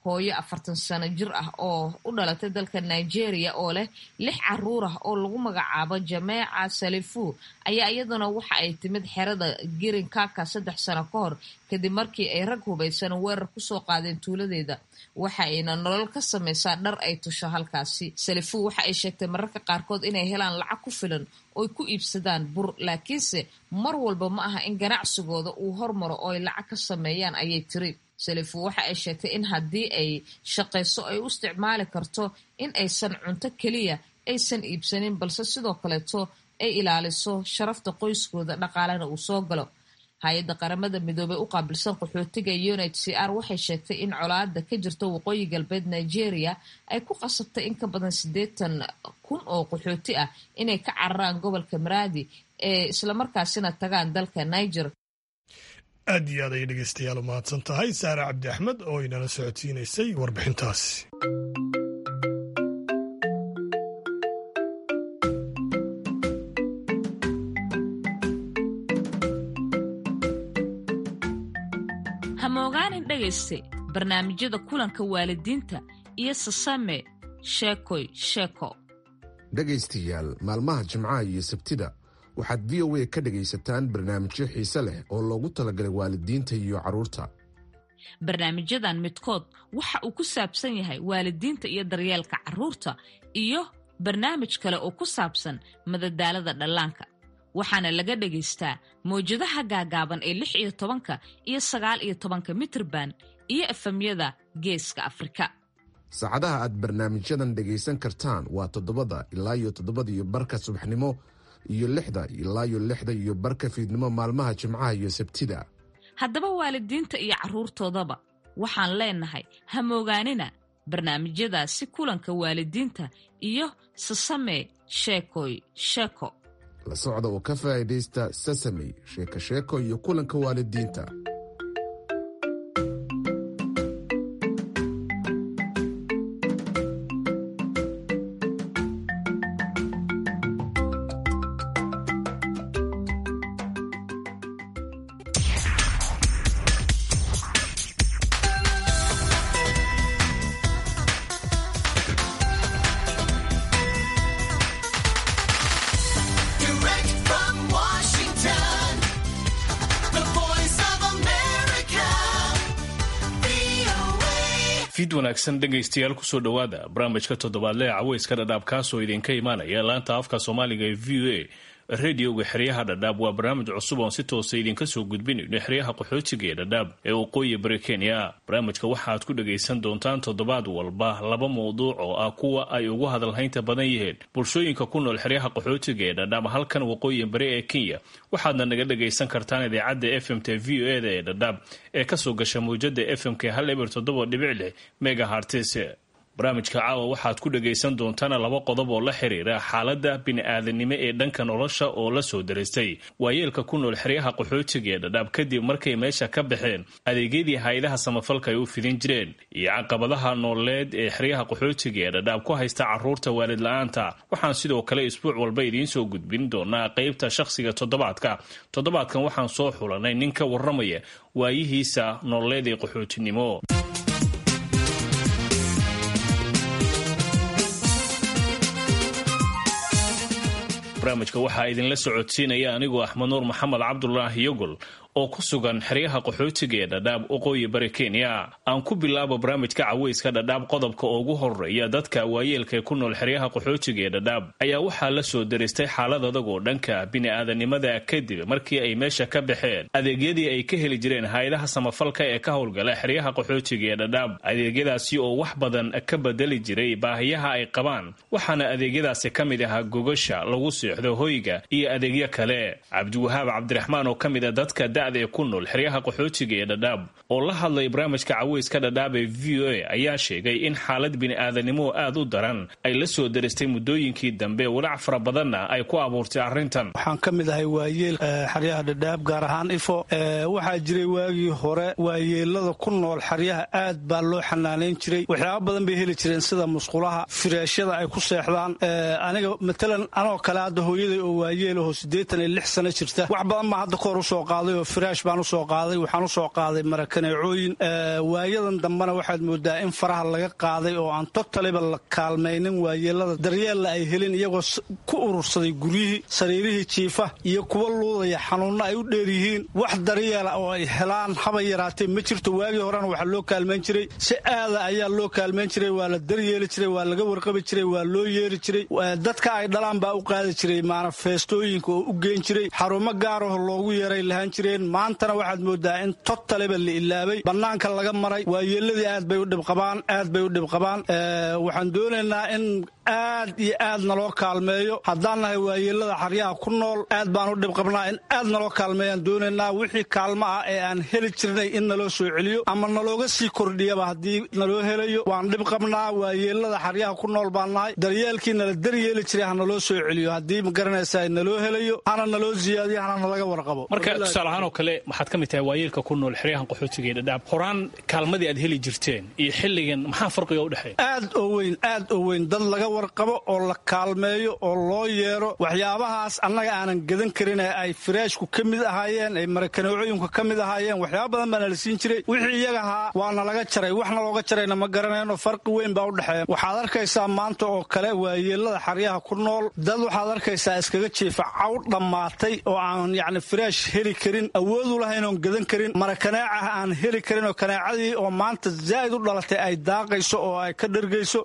Hooyo afartan sano jir ah oo u dhalatay dalka Nigeria oo leh lix caruur ah oo lagu magacaabo Jameeca Salifu ayaa iyaduna waxa ay timid xerada Girin Kaka saddex sano ka hor, kadib markii ay rag hubaysan weerar kusoo qaadeen tuuladeeda. Waxa ayna nolol ka samaysaa dhar ay tusho halkaasi. Salifu waxa ay sheegtay mararka qaarkood inay helaan lacag ku filan ooy ku iibsadaan bur, laakiinse mar walba ma aha in ganacsigooda uu hormaro oo ay lacag ka sameeyaan, ayay tiri. Salifu waxa ay sheegtay in haddii ay shaqayso ay u isticmaali karto in aysan cunto keliya aysan iibsanin, balse sidoo kaleeto ay ilaaliso sharafta qoyskooda, dhaqaalena uu soo galo. Hay-adda Qaramada Midoobey u qaabilsan qaxootiga U N H C R waxay sheegtay in colaada ka jirta waqooyi galbeed Nigeria ay ku qasabtay in ka badan siddeetan kun oo qaxooti ah inay ka cararaan gobolka Maraadi ee islamarkaasina tagaan dalka Niger. Aad iyo aad ayay dhegeystayaal u mahadsan tahay Saare Cabdi Axmed oo inala socodsiinaysay warbixintaasi. Hamoogaanin dhegayste, barnaamijyada kulanka waalidiinta iyo Sasame Sheekoy Sheeko. Dhegaystayaal, maalmaha Jimcaha iyo Sabtida waxaad V O A ka dhegaysataan barnaamijyo xiise leh oo loogu talagalay waalidiinta iyo carruurta. Barnaamijyadan midkood waxa uu ku saabsan yahay waalidiinta iyo daryeelka carruurta, iyo barnaamij kale oo ku saabsan madadaalada dhallaanka, waxaana laga dhagaystaa mawjadaha gaagaaban ee lix iyo tobanka iyo sagaal iyo tobanka mitirban iyo F M-yada Geeska Afrika. Saacadaha aad barnaamijyadan dhegaysan kartaan waa toddobada ilaa iyo toddobada iyo barka subaxnimo iyo lixda ilaa iyo lixda iyo barka fiidnimo maalmaha Jimcaha iyo Sabtida. Haddaba waalidiinta iyo carruurtoodaba waxaan leenahay, hamoogaanina barnaamijyadaasi kulanka waalidiinta iyo Sasame Sheekoy Sheeko. La socda oo ka faa'iidaysta Sasamey Sheeko Sheeko iyo kulanka waalidiinta. Fid wanaagsan dhegaystayaal, kusoo dhowaada barnaamijka toddobaadle ee caweyska Dhadhaab, kaasoo idinka imaanaya laanta afka Soomaaliga ee V O A, radioga xeryaha Dhadhaab. Waa barnaamij cusub oon si toosa idinka soo gudbinayno xeryaha qaxootiga ee Dhadhaab ee waqooyi bari Kenya. Barnaamijka waxaad ku dhagaysan doontaan toddobaad walba laba mawduuc oo ah kuwa ay ugu hadalhaynta badan yihiin bulshooyinka ku nool xeryaha qaxootiga ee Dhadhaab halkan waqooyi bari ee Kenya. Waxaadna naga dhagaysan kartaan idaacadda F M t V O E da ee Dhadhaab ee kasoo gasha mawjada F M k hal eber toddoba dhibic lix megahertz. Barnaamijka caawa waxaad ku dhagaysan doontaan laba qodob oo la xiriira xaaladda bini'aadanimo ee dhanka nolosha oo la soo daristay waayeelka ku nool xeryaha qaxootiga ee Dhadhaab kadib markay meesha ka baxeen adeegyadii hay-adaha samafalka ay u fidin jireen, iyo caqabadaha nololeed ee xeryaha qaxootiga ee Dhadhaab ku haysta caruurta waalid la-aanta. Waxaan sidoo kale isbuuc walba idiin soo gudbin doonaa qeybta shakhsiga toddobaadka. Toddobaadkan waxaan soo xulanay nin ka warramaya waayihiisa nololeed ee qaxootinimo. Barnaamijka waxaa idinla socodsiinaya anigoo Axmed Nuur Maxamed Cabdulaahi Yogol oo ku sugan xeryaha qaxootiga ee Dhadhaab, waqooyi bari Kenya. Aan ku bilaabo barnaamijka caweyska Dhadhaab qodobka ugu horeeya. Dadka waayeelka ee ku nool xeryaha qaxootiga ee Dhadhaab ayaa waxaa la soo daristay xaalad adag oo dhanka bini'aadanimada kadib markii ay meesha ka baxeen adeegyadii ay ka heli jireen hay-adaha samafalka ee ka howlgala xeryaha qaxootiga ee Dhadhaab, adeegyadaasi oo wax badan ka bedeli jiray baahiyaha ay qabaan. Waxaana adeegyadaasi ka mid ahaa gogasha lagu seexdo, hoyga iyo adeegyo kale. Cabdiwahaab Cabdiraxmaan oo ka mid a dadka da'da ee ku nool xeryaha qaxootiga ee Dhadhaab oo la hadlay barnaamijka caweyska Dhadhaab ee V O A ayaa sheegay in xaalad bini'aadanimo aad u daran ay la soo daristay muddooyinkii dambe, walaac fara badanna ay ku abuurtay arrintan. Waxaan ka mid ahay waayeel xeryaha Dhadhaab, gaar ahaan Ifo. Waxaa jiray waagii hore waayeelada ku nool xeryaha aad baa loo xanaanayn jiray. Waxyaaba badan bay heli jireen, sida musqulaha, firaashyada ay ku seexdaan. Aniga matalan anoo kale hadda hooyaday oo waayeel aho siddeetan iyo lix sano jirta, wax badan baa hadda kahor usoo qaaday oo firaash baan usoo qaaday, waxaan usoo qaaday marakaneecooyin. Waayadan dambena waxaad moodaa in faraha laga qaaday oo aan totaliba la kaalmaynin waayeelada, daryeella ay helin, iyagoo ku urursaday guryihii, sariirihii jiifa iyo kuwa luudaya, xanuunna ay u dheer yihiin. Wax daryeela oo ay helaan haba yaraatee ma jirto. Waagii horena waxaa loo kaalmayn jiray si aada ayaa loo kaalmayn jiray, waa la daryeeli jiray, waa laga warqabi jiray, waa loo yeeri jiray. Dadka ay dhalaan baa u qaadi jiray manifestooyinka oo u geyn jiray, xarumo gaaraho loogu yeeray lahaan jireen. Maantana waxaad moodaa in totaliba la ilaabay, bannaanka laga maray. Waayeeladii aad bay u dhibqabaan, aad bay u dhibqabaan. Waxaan doonaynaa in aad iyo aad naloo kaalmeeyo. Haddaan nahay waayeelada xaryaha ku nool, aad baan u dhibqabnaa. In aad naloo kaalmeeyaan doonaynaa. Wixii kaalmo ah ee aan heli jirnay in naloo soo celiyo ama nalooga sii kordhiyaba haddii naloo helayo. Waan dhibqabnaa, waayeelada xaryaha ku nool baan nahay. Daryeelkii nala daryeeli jiray ha naloo soo celiyo haddii ma garanaysaa naloo helayo, hana naloo siyaadiyo, hana nalaga warqabo. Marka tusaale ahaan oo kale waxaad ka mid tahay waayeelka ku nool xeryahan qaxootiga ee Dhadhaab. Horaan kaalmadii aad heli jirteen iyo xilligan maxaa farqiga u dhexeeya? Aad oo weyn, aad oo weyn. Dad laga warqabo oo la kaalmeeyo oo loo yeero, waxyaabahaas annaga aanan gadan karin ee ay firaashku ka mid ahaayeen, ay marakaneecooyinku ka mid ahaayeen, waxyaaba badan baana la siin jiray. Wixii iyaga ahaa waana laga jaray, waxna looga jarayna ma garanayno. Farqi weyn baa u dhexeeya. Waxaad arkaysaa maanta oo kale waayeelada xeryaha ku nool dad waxaad arkaysaa iskaga jiifa caw dhammaatay oo aan yacni firaash heli karin, awood u lahayn oon gadan karin, marakaneecah aan heli karin, oo kaneecadii oo maanta zaa'id u dhalatay ay daaqayso oo ay ka dhergayso.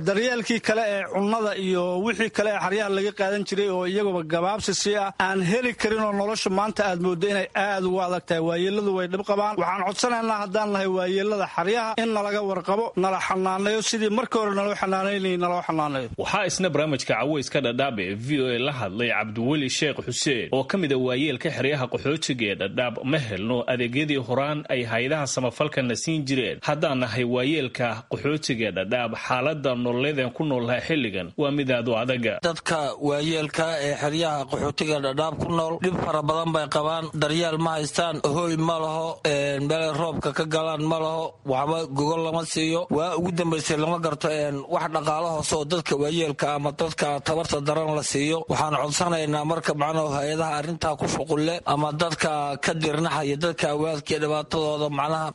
Daryeelkii kale ee cunnada iyo wixii kale ee xeryaha laga qaadan jiray oo iyaguba gabaabsi sii ah aan heli karin, oo nolosha maanta aad mooddo inay aad ugu adag tahay. Waayeeladu way dhib qabaan. Waxaan codsanaynaa haddaan nahay waayeelada xeryaha in nalaga warqabo, nala xanaaneeyo sidii markii hore naloo xanaanaynayay naloo xanaaneeyo. Waxaa isna barnaamijka caweyska Dhadhaab ee V O A la hadlay Cabdiweli Sheekh Xuseen oo ka mid a waayeelka xeryaha qaxootiga ee Dhadhaab. Ma helno adeegyadii horaan ay hay-adaha samafalkana siin jireen. Haddaan nahay waayeelka qaxootiga ee Dhadhaab, xaaladda nololeedeen ku noolnahay xilligan waa mid aad u adaga. Dadka waayeelka ee xeryaha qaxootiga Dhadhaab ku nool dhib fara badan bay qabaan. Daryeel ma haystaan, hooy ma laho, meelay roobka ka galaan ma laho, waxba gogol lama siiyo. Waa ugu dambaysay lama garto wax dhaqaalo hoose oo dadka waayeelka ama dadka tabarta daran la siiyo. Waxaan codsanaynaa marka macnahu hay-adaha arrintaa ku shuqulle ama dadka Waa ka dirnaxaya dadka waalidka dhibaatadooda, macnaha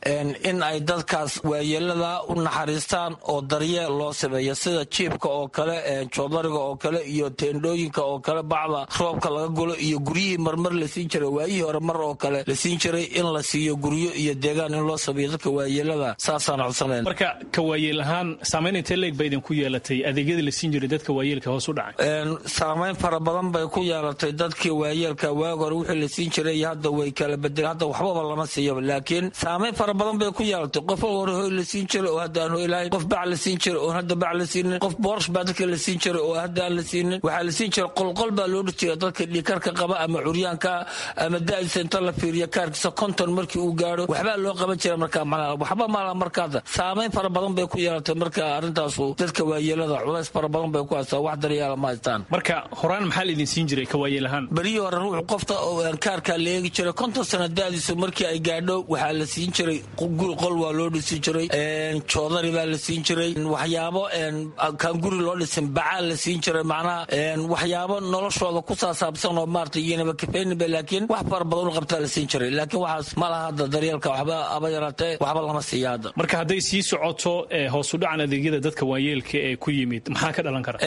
in ay dadkaas waayeelada u naxariistaan oo daryeel loo sameeyo, sida jiibka oo kale, joodariga oo kale iyo teendhooyinka oo kale, bacda roobka laga gulo iyo guryihii marmar la siin jiray waayihii hore mar oo kale la siin jiray, in la siiyo guryo iyo deegaan in loo sameeyo dadka waayeelada, saasaan codsanayn. Marka ka waayeel ahaan saamayn intee leeg bay idinku yeelatay adeegyadii la siin jiray dadka waayeelka hoos u dhacay? Saamayn fara badan bay ku yeelatay dadkii waayeelka. Waag hore wixii la siin jiray iyo hadda way kala bedeleen, hadda waxbaba lama siiyo, laakiin saamayn fara badan bay ku yeelatay. Qof hore hoy la siin jiray oo hadda aan hoy lahayn, qof bac la siin jiray oo hadda bac la siinin, qof boorsh baa dadka la siin jiray oo hadda aan la siinin. Waxaa la siin jiray qolqol baa loo dhis jiray dadka dhiikarka qaba ama curyaanka ama da'diisa inta la fiiriyo kaarkiisa konton markii uu gaadho waxbaa loo qaban jiray. Markaa macnaha waxba malaha. Markaada saamayn fara badan bay ku yeelatay. Marka arrintaasu dadka waayeelada culays fara badan bay ku haystaa, wax daryeela ma haystaan. Marka horaan maxaa la idin siin jiray ka waayeel ahaan? Berihii hore ruuxu qofta oo kaarka la eegi jiray konton sano da'diisu markii ay gaadho waxaa la siin jiray guri, qol waa loo dhisi jiray, joodari baa la siin jiray, waxyaabo kaan guri loo dhisin bacaa la siin jiray, macnaha waxyaabo noloshooda ku saasaabsan oo maarata iyanaba kafeyninba, laakiin wax fara badan u qabtaa la siin jiray. Laakiin waxaas ma laha hadda, daryeelka waxba aba yaraatee waxba lama siiya hadda. Marka hadday sii socoto hoos u dhacan adeegyada dadka waayeelka ee ku yimid, maxaa ka dhalan kara?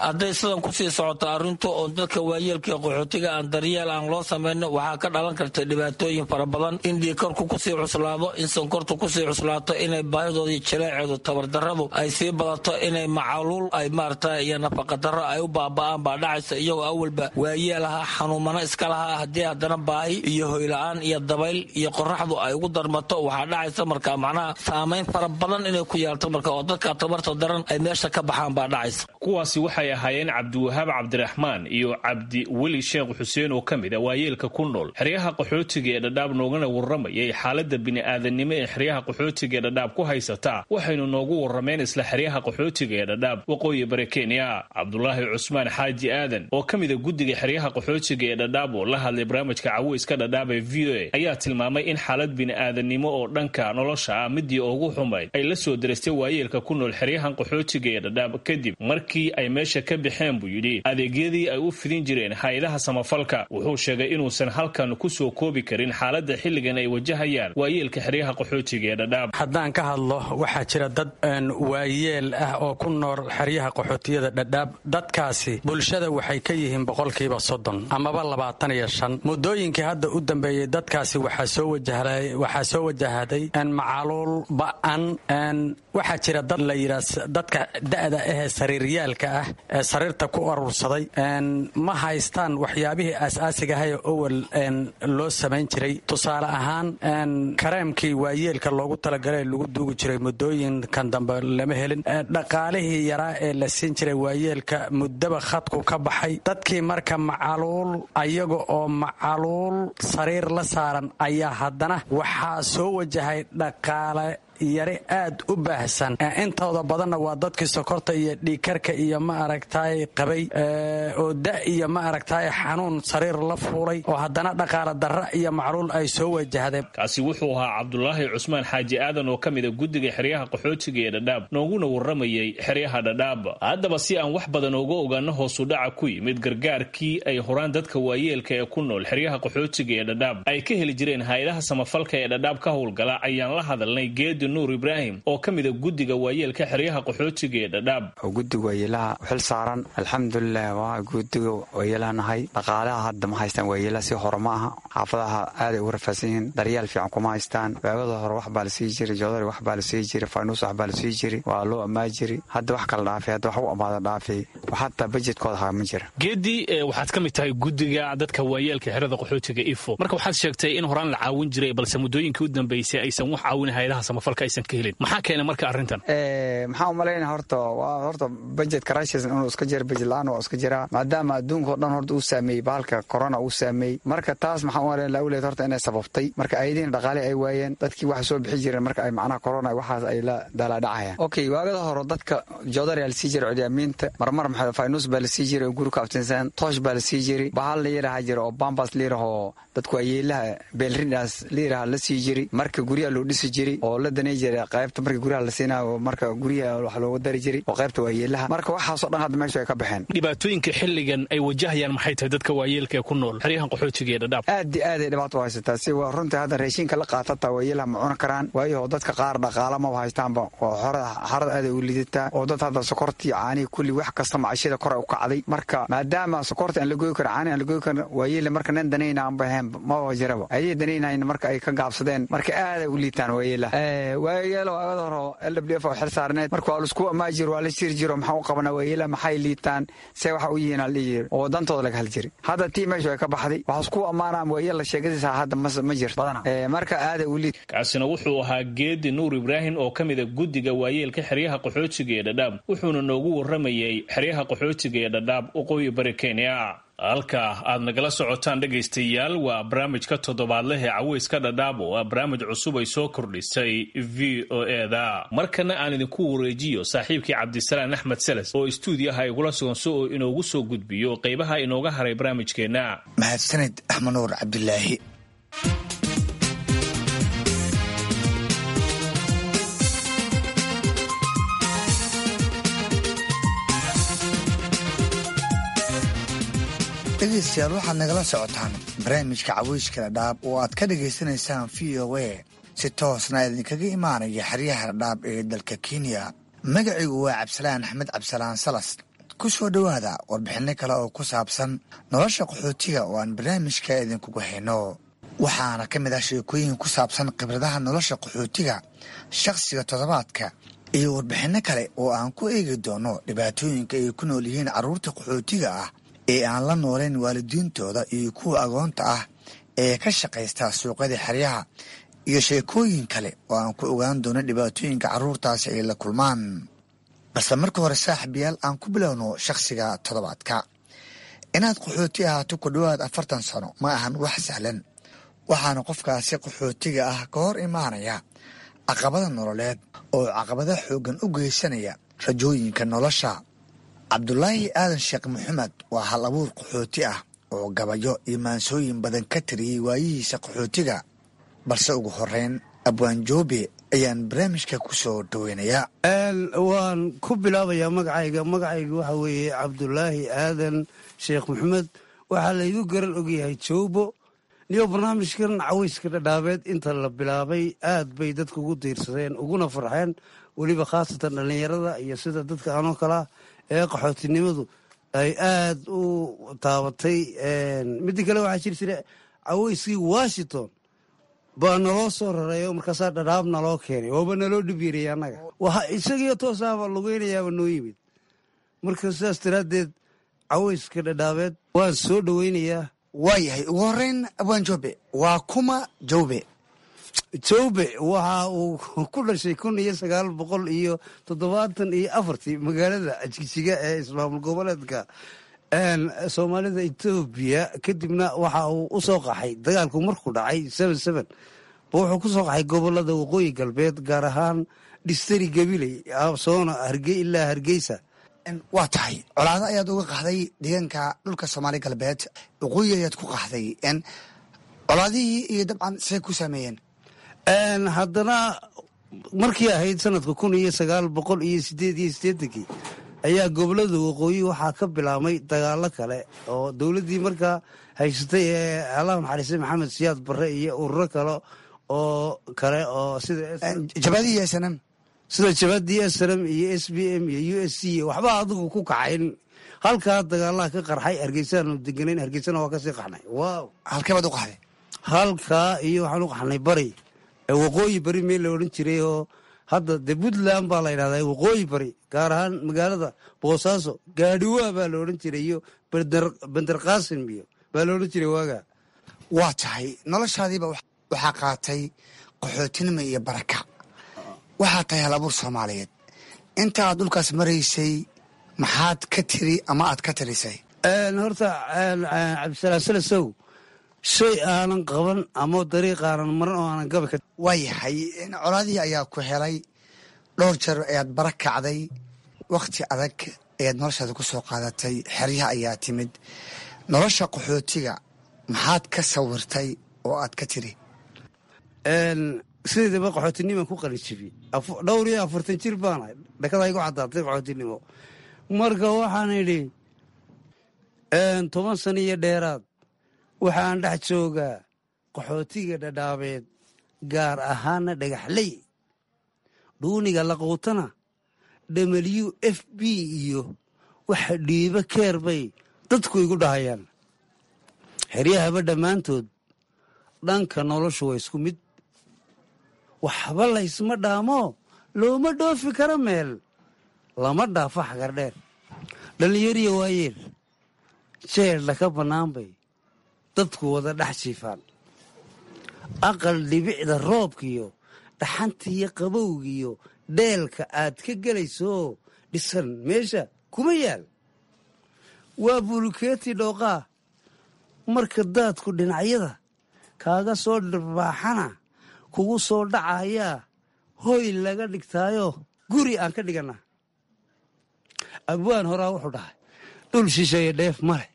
Hadday sidan kusii socoto arrintu oo dadka waayeelka ee qaxootiga aan daryeel aan loo samayno, waxaa ka dhalan karta dhibaatooyin fara badan, in dhiikarku kusii cuslaado, in sonkortu kusii cuslaato, inay baahidooda iyo jileeceedu tabardarradu ay sii badato, inay macaluul ay maarata iyo nafaqadarro ay u baaba'aan baa dhacaysa, iyagoo awalba waayeel ahaa, xanuumano iska lahaa. Haddii haddana baahi iyo hoyla-aan iyo dabayl iyo qoraxdu ay ugu darmato, waxaa dhacaysa marka macnaha saamayn fara badan inay ku yeelto, marka oo dadka tabarta daran ay meesha ka baxaan baa dhacaysa. Kuwaasi waxay ahaayeen Cabdiwahaab Cabdiraxmaan iyo Cabdi Weli Sheekh Xuseen oo ka mid a waayeelka ku nool xeryaha qaxootiga ee Dhadhaab, noogana warramayay xaaladda bini'aadanimo ee xeryaha qaxootiga ee Dhadhaab ku haysataa. Waxaynu noogu warrameen isla xeryaha qaxootiga ee Dhadhaab, waqooyi bari Kenya. Cabdulaahi Cusmaan Xaaji Aadan oo ka mida guddiga xeryaha qaxootiga ee Dhadhaab oo la hadlay barnaamijka Caweyska Dhadhaab ee V O A ayaa tilmaamay in xaalad bini'aadanimo oo dhanka nolosha ah midii ugu xumayd ay la soo derastay waayeelka ku nool xeryahan qaxootiga ee Dhadhaab, kadib markii ay meesha ka baxeen buu yidhi adeegyadii ay u fidin jireen hay-adaha samafalka. Wuxuu sheegay inuusan halkan ku soo koobi karin xaaladda xilligan ay wajahayaan waayeelka xeryaha qaxootiga ee Dhadhaab. Haddaan ka hadlo, waxaa jira dad waayeel ah oo ku nool xeryaha qaxootiyada Dhadhaab. Dadkaasi bulshada waxay ka yihiin boqolkiiba soddon amaba labaatan iyo shan. Muddooyinkii hadda u dambeeyey dadkaasi waxaa soo wajahday macaluul ba'an. Waxaa jira dad la yidhaa dadka da'da ahee sariiryaalka ah ee sariirta ku aruursaday, ma haystaan waxyaabihii aas-aasigahaye owal loo samayn jiray. Tusaale ahaan, kareemkii waayeelka loogu talagalay lagu duugi jiray muddooyinkan dambe lama helin. Dhaqaalihii yaraa ee la siin jiray waayeelka muddaba khadku ka baxay. Dadkii marka macaluul, ayaga oo macaluul sariir la saaran, ayaa haddana waxaa soo wajahay dhaqaale yari aad u baahsan. Intooda badanna waa dadkii sokorta iyo dhiigkarka iyo ma aragtaay qabay oo da iyo ma aragtaay xanuun sariir la fuulay oo haddana dhaqaale darra iyo macluul ay soo wajahdeen. Kaasi wuxuu ahaa Cabdulaahi Cusmaan Xaaji Aadan oo ka mid a guddiga xeryaha qaxootiga ee Dhadhaab, nooguna warramayay xeryaha Dhadhaab. Haddaba si aan wax badan uga ogaano hoosu dhaca ku yimid gargaarkii ay horaan dadka waayeelka ee ku nool xeryaha qaxootiga ee Dhadhaab ay ka heli jireen hay-adaha samafalka ee Dhadhaab ka howlgala, ayaan la hadalnay Geedi Nuur Ibraahim oo ka mid a guddiga waayeelka xeryaha qaxootiga ee Dhadhaab. Guddiga waayeelaha xil saaran, alxamdulilah, waa guddiga waayeelaha nahay. Dhaqaalaha hadda ma haystaan waayeelaha, si hore ma aha. Xaafadaha aaday ugu rafaadsan yihiin, daryeel fiican kuma haystaan. Waagada hore wax baa la sii jiray, joodari wax baa la sii jiray, faynuus wax baa la sii jiray, waa loo ammaa jiray. Hadda wax kala dhaafay, hadda wax u amaada dhaafay, xataa bajedkooda haa ma jira. Geedi, waxaad ka mid tahay guddiga dadka waayeelka xerada qaxootiga Ifo. Marka waxaad sheegtay in horaan la caawin jiray, balse muddooyinkii u dambeysay aysan wax caawin hay-adaha samafalka aysan ka helin. Maxaa keena marka arrintan? Maxaa umalaynaya, horta waa horta budget crisis inuu iska jira, budget la-aan waa iska jiraa, maadaama adduunka o dhan horta uu saameeyey bahalka corona uu saameeyey. Marka taas maxaa umalayn lawleed horta inay sababtay. Marka ayadiina dhaqaale ay waayeen, dadkii waxa soo bixi jireen marka ay macnaha corona waxaas ay la daalaadhacayaan. Okay, waagada hore dadka joodari la sii jiray cudyaamiinta, marmar maxaa faynus baa la sii jiray oo guri ku abtinsan, toosh baa la sii jiray, bahal la yidhaaha jira oo bambas la yidhaahoo dadku ayeelaha beelrindaas la yidhaaha la sii jiray. Marka guryaha loo dhisi jiray oo la danay jiray qaybta marka guryaha la siinayo, marka guryaha wax looga dari jiray oo qaybta waayeelaha. Marka waxaasoo dhan hadda meesha ay ka baxeen. Dhibaatooyinka xilligan ay wajahayaan maxay tahay dadka waayeelka ee ku nool xeryahan qaxootiga ee Dhadhaab? Aad iyo aad ay dhibaato u haysataa. Si waa runtii hadda raashinka la qaatata waayeelaha ma cuni karaan, waayo dadka qaar dhaqaala maba haystaanba, oo xorada xarada aad ay u lidataa, oo dad hadda sokortii, caanihii, kulli wax kasta macashada kor ay u kacday. Marka maadaama sokorta aan la goyi karin, caanihi aan la goyi karin, waayeela marka nin danayna aanba ahayn maba jiraba, ayay danaynayn marka ay ka gaabsadeen. Marka aad ay u liitaan waayeelaha. Waayeelo agada hore L W F oo xil saarneed, marka waa laisku amaajir, waa la shiri jiro, maxaa u qabanaa waayeelaha, maxay liitaan, see waxa u yihiin la dhihi jiri, oo dantooda laga hadli jiray. Hadda tii meeshu ay ka baxday, waxaa isku ammaanaa waayeel la sheegadiisa hadda ma jirto badana. Marka aad ay u liit. Kaasina wuxuu ahaa Geedi Nuur Ibraahim oo ka mid a guddiga waayeelka xeryaha qaxootiga ee Dhadhaab, wuxuuna noogu waramayay xeryaha qaxootiga ee Dhadhaab, waqooyi bari Kenya. Halka aad nagala socotaan dhegaystayaal waa barnaamijka toddobaadleh ee Caweyska Dhadhaab, oo ah barnaamij cusub ay soo kordhisay V O E da. Markana aan idinku wareejiyo saaxiibkii Cabdisalaan Axmed Seles oo istuudiyaha igula sugan si oo inoogu soo gudbiyo qeybaha inooga haray barnaamijkeenna. Mahadsanid Axmed Nuur Cabdilaahi. Dhegeystayaal, waxaad nagala socotaan barnaamijka Caweyska Dhadhaab oo aad ka dhagaysanaysaan V O A, si toosna idinkaga imaanaya xeryaha Dhadhaab ee dalka Kenya. Magacigu waa Cabdisalaan Axmed Cabdisalaan Salas. Ku soo dhowaada warbixinno kale oo ku saabsan nolosha qaxootiga oo aan barnaamijka idinkugu hayno. Waxaana ka mid ah sheekooyin ku saabsan khibradaha nolosha qaxootiga, shakhsiga toddobaadka, iyo warbixinno kale oo aan ku eegi doono dhibaatooyinka ay ku nool yihiin carruurta qaxootiga ah ee aan la nooleyn waalidiintooda iyo kuwa agoonta ah ee ka shaqaysta suuqyada xeryaha, iyo sheekooyin kale oo aan ku ogaan doono dhibaatooyinka carruurtaasi ay la kulmaan. Balse marka hore, saaxiibayaal, aan ku bilowno shakhsiga toddobaadka. Inaad qaxooti ahaato ku dhowaad afartan sano ma ahan wax sahlan, waxaana qofkaasi qaxootiga ah ka hor imaanaya caqabada nololeed oo caqabada xooggan u geysanaya rajooyinka nolosha. Cabdulaahi Aadan Sheekh Maxamed waa hal abuur qaxooti ah oo gabayo iyo maansooyin badan ka tiriyey waayihiisa qaxootiga. Balse ugu horeyn, Abwaan Joobe ayaan barnaamijka ku soo dhoweynayaa. Waan ku bilaabayaa magacayga. Magacayga waxa weeye Cabdulaahi Aadan Sheekh Maxamed, waxaa laygu garan ogyahay Joobo. Niyo barnaamijkan Caweyska Dhadhaabeed inta la bilaabay aad bay dadka ugu diirsadeen uguna farxeen, weliba khaasatan dhallinyarada iyo sida dadka anoo kalaa ee qaxootinimadu ay aad u taabatay. Midda kale, waxaa jiri jira caweyskii Washington baa naloo soo rareeyo, markaasaa Dhadhaab naloo keenay, waaba naloo dhib yariyay annaga, waxa isagiyo toosaaba lugeynayaaba noo yimid. Marka sidaas daraaddeed Caweyska Dhadhaabeed waan soo dhoweynayaa. Waayahay, ugu horeyn, Abwaan Joobe, waa kuma Joobe? Joobe waxa uu ku dhashay kun iyo sagaal boqol iyo toddobaatan iyo afartii magaalada Jigjiga ee ismaamul goboleedka Soomaalida Etoobiya. Kadibna waxa uu u soo qaxay dagaalku markuu dhacay seven seven ba, wuxuu ku soo qaxay gobolada waqooyi galbeed, gaar ahaan dhistari Gabiley, soona Harge ilaa Hargeysa. Waa tahay, colaado ayaad uga qaxday deegaanka dhulka Soomaali Galbeed, waqooyi ayaad ku qaxday. Colaadihii iyo dabcan see ku saameeyeen? Haddana markii ahayd sanadka kun iyo sagaal boqol iyo sideed iyo siddeetankii ayaa gobolada waqooyi waxaa ka bilaabmay dagaalo kale oo dowladdii markaa haysatay ee Allah naxariistay Maxamed Siyaad Barre iyo ururo kale oo kale oo sida Jabadii S N M. Sida jabadii S N M iyo S B M iyo U S C, waxba adigu ku kacayn. Halkaa dagaalaha ka qarxay, Hargeysaanu deganayn, Hargeysana waa kasii qaxnay. Wow. Halkee baad u qaxday? Halkaa iyo waxaan u qaxnay bari, waqooyi bari meel la odhan jiray oo hadda dee Puntland baa la yidhahdaa, waqooyi bari, gaar ahaan magaalada Boosaaso, Gaadhiwaa baa la odhan jiray iyo Bender Qaasim iyo baa la odhan jiray waagaa. Waa tahay, noloshaadiiba waxaa qaatay qaxootinimo iyo baraka. Waxaa tahay hal abuur Soomaaliyeed. Inta aad dhulkaas maraysay maxaad ka tiri ama aad ka tirisay? Horta Cabdisalaam Salasow, shay aanan qaban ama dariiq aanan maran oo aanan gabi ka Waayahay, colaadihii ayaa ku helay, dhowr jeer ayaad bara kacday, wakhti adag ayaad noloshaada ku soo qaadatay, xeryaha ayaa timid. Nolosha qaxootiga maxaad ka sawirtay oo aad ka tiri? Sideedaba qaxootinimaan ku qalinjibiyey, dhowr iyo afartan jir baanahay, dhakada igu caddaatay qaxootinimo. Marka waxaan idhi toban sano iyo dheeraad waxaan dhex joogaa qaxootiga Dhadhaabeed, gaar ahaana Dhagaxley. Dhuuniga laquutana W F P iyo waxa dhiibo keer bay dadku igu dhahayaan. Xeryahaba dhammaantood dhanka noloshu waa isku mid, waxba laysma dhaamo, looma dhoofi karo meel, lama dhaafo Xagardheer. Dhallinyariya waayeel jeedha ka bannaan bay dadku wada dhex jiifaan. Aqal dhibicda roobkiyo dhaxantiiyo qabowgiyo dheelka aad ka gelayso dhisan meesha kuma yaal, waa bulukeeti dhooqaa. Marka daadku dhinacyada kaaga soo dhirbaaxana kugu soo dhacayaa, hoy laga dhigtaayo guri aan ka dhigannaa. Abwaan horaa wuxuu dhahay, dhul shisheeye dheef male,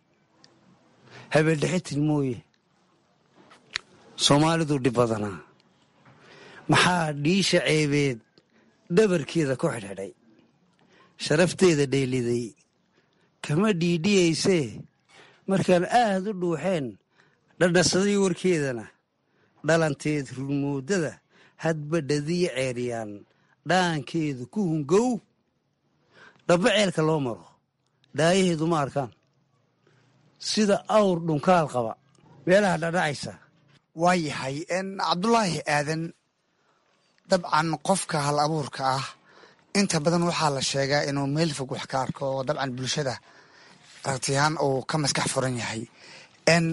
habeendhexitin mooye. Soomaalidu dhib badanaa, maxaa dhiisha ceebeed dhabarkeeda ku xidhxidhay, sharafteeda dheeliday kama dhiidhiyaysee. Markaan aad u dhuuxeen dhadhasaday warkeedana, dhalanteed rurmoodada hadba dhadiya ceeriyaan, dhaankeedu ku hungow dhabba ceelka loo maro, dhaayaheedu ma arkaan sida awr dhunkaal qaba meelaha dhadhacaysa. Waa yahay, Cabdulaahi Aadan. Dabcan qofka hal abuurka ah inta badan waxaa la sheegaa inuu meel fog wax ka arko, oo dabcan bulshada aragtiyahaan uu ka maskax furan yahay. N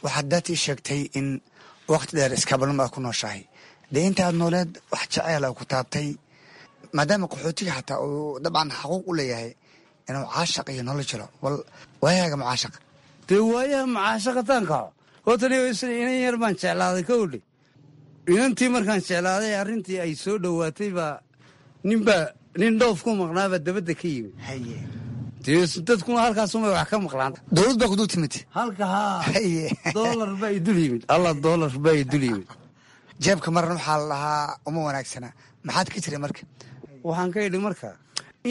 waxaad daatii sheegtay in waqti dheer iskaabalnimo aad ku nooshahay. Dee intaad nooleed wax jaceyl a ku taabtay, maadaama qaxootiga xataa uu dabcan xaquuq u leeyahay inuu caashaq iyo nolol jiro, bal waayahaaga mucaashaq? Dee waayaha mucaashaqataan kaco hortan inan yar baan jeclaaday kowdhe. Inantii markaan jeclaaday, arrintii ay soo dhowaatay baa ninbaa nin dhoof ku maqnaabaa dabadda ka yimid. Dee dadkuna halkaasumay wax ka maqlaan. Dowlad baa ku dul timid. Halka haa, doolar baa idul yimid, alla doolar baa idul yimid. Jeebka maran waxaa la dhahaa uma wanaagsana. Maxaad ka jiray marka? Waxaan ka idhi marka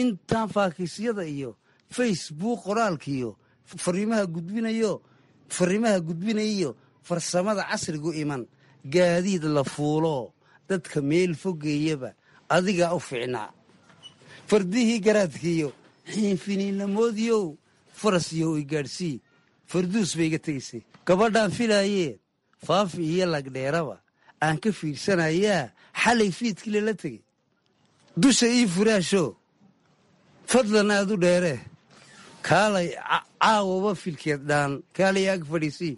intaan faakiisyada iyo Facebook qoraalkiiyo fariimaha gudbinayo fariimaha gudbinayiyo farsamada casrigu iman, gaadiid la fuulo dadka meel fogeeyaba adigaa u fiicnaa. Fardihii garaadkiiyo xiinfiniinamoodiyow faras iyo i gaadhsii, farduus bay iga tegaysay. Gabadhaan filaayee Faafi iyo Lagdheeraba aan ka fiirsanayaa xalay fiidkii lala tegey. Dusha ii furaasho fadlan aad u dheeree, kaalay caawaba filkeed dhaan, kaalay ag fadhiisii,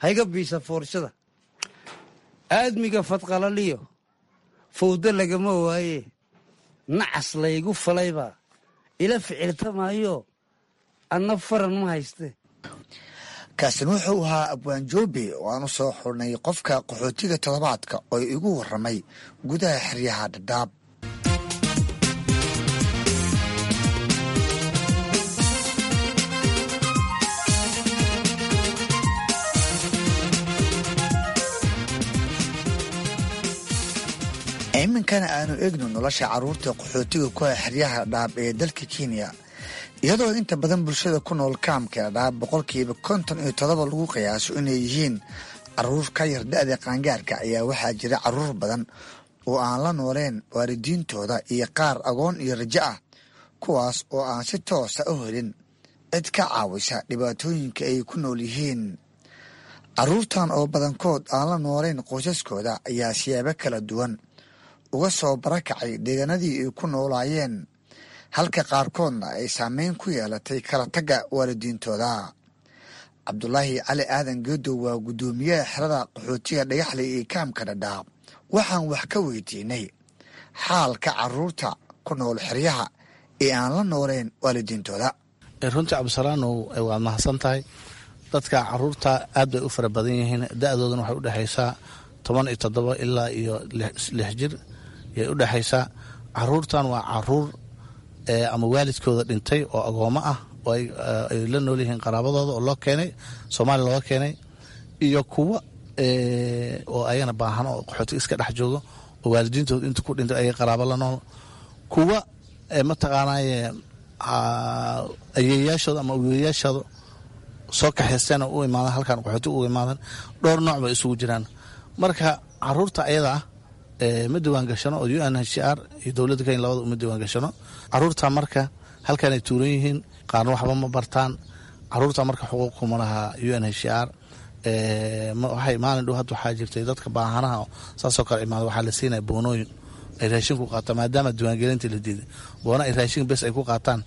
hayga biisa foorshada. Aadmiga fadqalaliyo fawdo lagama waaye, nacas laygu falaybaa ila ficiltamaayo, anna faran ma hayste. Kaasin wuxuu ahaa Abwaan Joobe oo aan u soo xurnay qofka qaxootiga toddobaadka oo igu warramay gudaha xeryaha Dhadhaab. Iminkana aanu eegno nolosha carruurta qaxootiga ku ah xeryaha Dhadhaab ee dalka Kenya. Iyadoo inta badan bulshada ku nool kaamka Dhadhaab boqolkiiba konton iyo todoba lagu qiyaaso inay yihiin caruur ka yar da'da qaangaarka, ayaa waxaa jira caruur badan oo aan la nooleen waalidiintooda iyo qaar agoon iyo rajo ah, kuwaas oo aan si toosa u helin cid ka caawisa dhibaatooyinka ay ku nool yihiin. Caruurtan oo badankood aan la nooleyn qoysaskooda ayaa siyaabo kala duwan uga soo barakacay deegaanadii ay ku noolaayeen, halka qaarkoodna ay saameyn ku yeelatay kala tagga waalidiintooda. Cabdulaahi Cali Aadan Geedow waa guddoomiyaha xerada qaxootiga Dhagaxley iyo kaamka Dhadhaab. Waxaan wax ka weydiinay xaalka caruurta ku nool xeryaha ee aan la nooleyn waalidiintooda. Runtii Cabdisalaanow, waad mahadsan tahay. Dadka caruurta aad bay u fara badan yihiin, da-doodana waxay udhexaysaa toban iyo toddoba ilaa iyo lix jir yay udhexaysaa. Caruurtan waa caruur ama waalidkooda dhintay oo agoomo ah oo ay la nool yihiin qaraabadooda oo loo keenay Soomaaliya looga keenay, iyo kuwa oo ayagana baahan oo qaxootiga iska dhex joogo oo waalidiintooda inta ku dhintay ayaga qaraabo la nool, kuwa mataqaanaaye ayeeyaashooda ama aweeyaashooda soo kaxaysteen oo u imaadan halkan qaxootiga uga imaadan. Dhowr nooc bay isugu jiraan. Marka caruurta ayada ah ma diwaan gashano oo U N H C R iyo dowladda Kenya labada uma diwaan gashano caruurta. Marka halkanay tuuran yihiin, qaarna waxba ma bartaan. Caruurta marka xuquuq kuma laha U N H C R. Waxay maalin dhow hadda waxaa jirtay dadka baahanaha saasoo kale imaada waxaa la siinaya boonooyin ay raashin ku qaataan, maadaama diiwaangelinta la diiday, boona ay raashin bes ay ku qaataan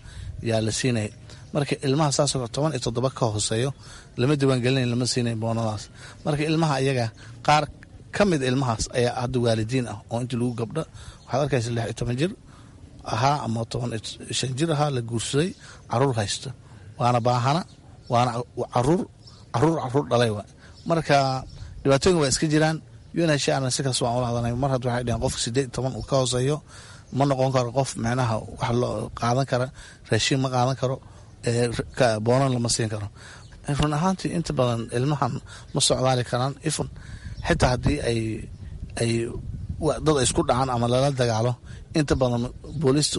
yaa la siinaya. Marka ilmaha saasoo kale toban iyo toddoba ka hooseeyo lama diiwaangelinayo, lama siinayo boonadaas. Marka ilmaha iyaga qaar ka mid ilmahaas ayaa hadda waalidiin ah oo intii lagu gabdho waxaad arkaysa lix iyo toban jir ahaa ama toban iyo shan jir ahaa la guursaday, caruur haysto, waana baahana, waana caruur caruur caruur dhalay wa. Marka dhibaatooyin waa iska jiraan. U N H C R si kaas waan ula hadalnay. Mar hadda waxay dhaheen qofka siddeed iyo toban uu ka hooseeyo ma noqon karo qof micnaha wax loo qaadan kara, raashin ma qaadan karo, boonan lama siin karo. Run ahaantii inta badan ilmahan ma socdaali karaan, ifun xitaa haddii ay ay dad ay isku dhacaan ama lala dagaalo, inta badan booliistu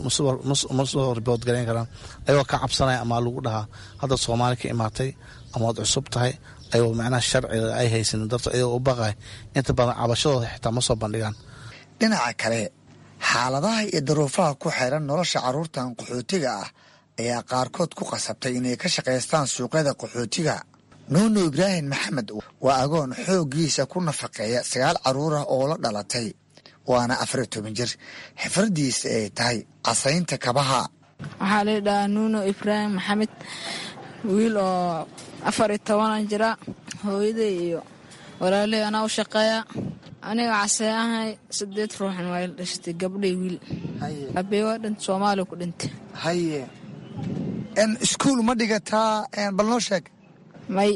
ma soo ribood garayn karaan ayagoo ka cabsanaya ama lagu dhahaa hadda Soomaali ka imaatay ama waad cusub tahay, ayagoo macnaha sharciga ay haysanin darto ayagoo u baqay inta badan cabashadooda xitaa ma soo bandhigaan. Dhinaca kale, xaaladaha iyo daruufaha ku xeeran nolosha carruurtan qaxootiga ah ayaa qaarkood ku qasabtay inay ka shaqaystaan suuqyada qaxootiga. Nuunu Ibraahim Maxamed waa agoon xooggiisa ku nafaqeeya sagaal carruur ah oo la dhalatay, waana afar iyo toban jir, xifradiisa ay tahay casaynta kabaha. Waxaa la yidhahaa Nuuno Ibraahim Maxamed, wiil oo afar iyo tobanan jira. Hooyaday iyo walaaley anaa u shaqeeya. Aniga casee ahay, sideed ruuxan waa ila dhashatay, gabdhay wiil. Aabey waa dhintay, Soomaaliya ku dhintay. Haye, iskuul ma dhigataa? Bal noo sheeg. May,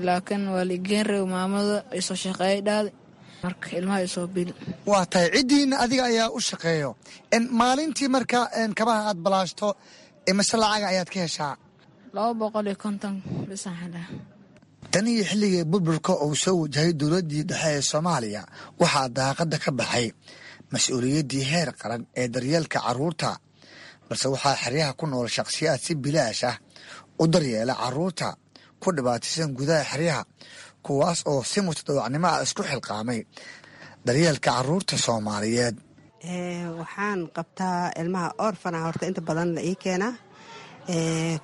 laakiin waa liigeen reeb, maamada isoo shaqeeyay dhaaday, marka ilmaha isoo bil. Waa tahay, ciddiina adiga ayaa u shaqeeyo maalintii. Marka kabaha aad balaashto imase lacaga ayaad ka heshaa? Laba boqol iyo konton bisaan helaa. Tan iyo xilligii burburka uu soo wajahay dowladdii dhexe ee Soomaaliya, waxaa daaqadda ka baxay mas-uuliyaddii heer qaran ee daryeelka carruurta, balse waxaa xeryaha ku nool shakhsiyaad si bilaash ah u daryeela carruurta ku dhibaataysan gudaha xeryaha, kuwaas oo si mutadawacnimo ah isku xilqaamay daryeelka carruurta Soomaaliyeed. Waxaan qabtaa ilmaha orfana horta inta badan la ii keenaa.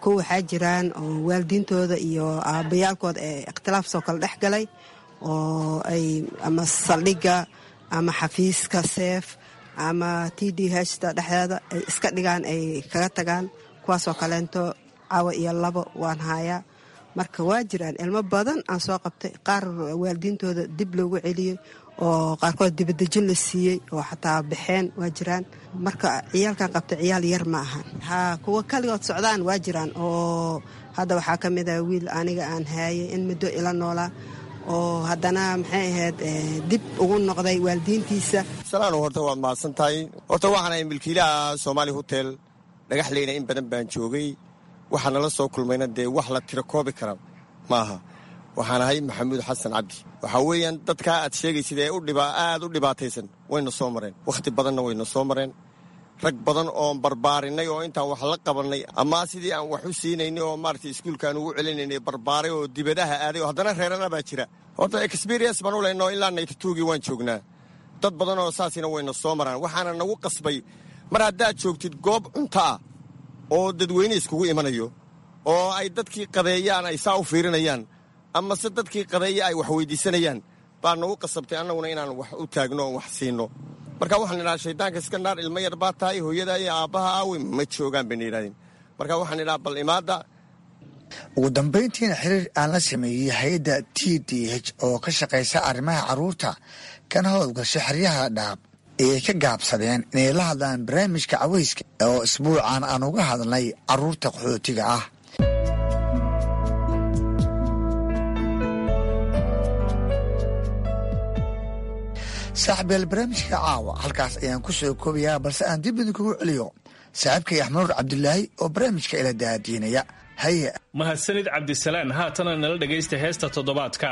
Kuwa waxaa jiraan oo waalidiintooda iyo aabbayaalkooda ee ikhtilaaf soo kala dhex galay oo ay ama saldhigga ama xafiiska seef ama T D H ta dhexdeeda ay iska dhigaan, ay kaga tagaan, kuwaasoo kaleento cawa iyo labo waan haayaa. Marka waa jiraan ilmo badan aan soo qabtay, qaar waalidiintooda dib loogu celiyey oo qaarkood dibadejin la siiyey oo xataa baxeen waa jiraan. Marka ciyaalkan qabtay ciyaal yar ma ahan. Haa, kuwa kaligood socdaan waa jiraan oo hadda waxaa ka mid ah wiil aniga aan haayay in muddo ila noolaa oo haddana maxay ahayd dib ugu noqday waalidiintiisa. Salaano, horta waad mahadsan tahay. Horta waxaan ahay milkiilaha Soomaali Hotel Dhagaxleyna. In badan baan joogay, waxaa nala soo kulmayna dee wax la tiro koobi kara maaha. Waxaan ahay Maxamuud Xasan Cabdi. Waxaa weeyaan dadkaa aad sheegaysid ee udhiba aad u dhibaataysan wayna soo mareen, wakhti badanna wayna soo mareen. Rag badan oon barbaarinay oo intaan wax la qabannay ama sidii aan wax u siinaynay oo maaragtay iskuulka aan ugu celinaynay barbaaray oo dibadaha aaday oo haddana reerana baa jira. Horta experience baan u leynoo, ilaa ninety-twogii waan joognaa. Dad badan oo saasina wayna soo maraan. Waxaana nagu qasbay, mar haddaad joogtid goob cunto ah oo dadweyne iskugu imanayo oo ay dadkii qadeeyaan ay saa u fiirinayaan ama se dadkii qadeeya ay wax weydiisanayaan, baa nagu qasabtay annaguna inaan wax u taagno oon wax siinno. Marka waxaan idhaha, shaydaanka iska naar, ilmo yar baa tahay, hooyada iyo aabbaha aawe? Ma joogaan bayna yidhahdeen. Marka waxaan idhaha, bal imaadda. Ugu dambayntiina xiriir aan la sameeyey hay-adda T D H oo ka shaqaysa arrimaha carruurta kana howlgasha xeryaha Dhaab ayay ka gaabsadeen inay la hadlaan barnaamijka caweyska oo isbuucan aan uga hadlnay carruurta qaxootiga ah. Saaxiibyaal, barnaamijka caawa halkaas ayaan ku soo koobayaa, balse aan dib idinkugu celiyo saaxiibkay Axmanuur Cabdilaahi oo barnaamijka ila daadiinaya. Haye. Mahadsanid Cabdisalaan. Haatana nala dhegaysta heesta toddobaadka.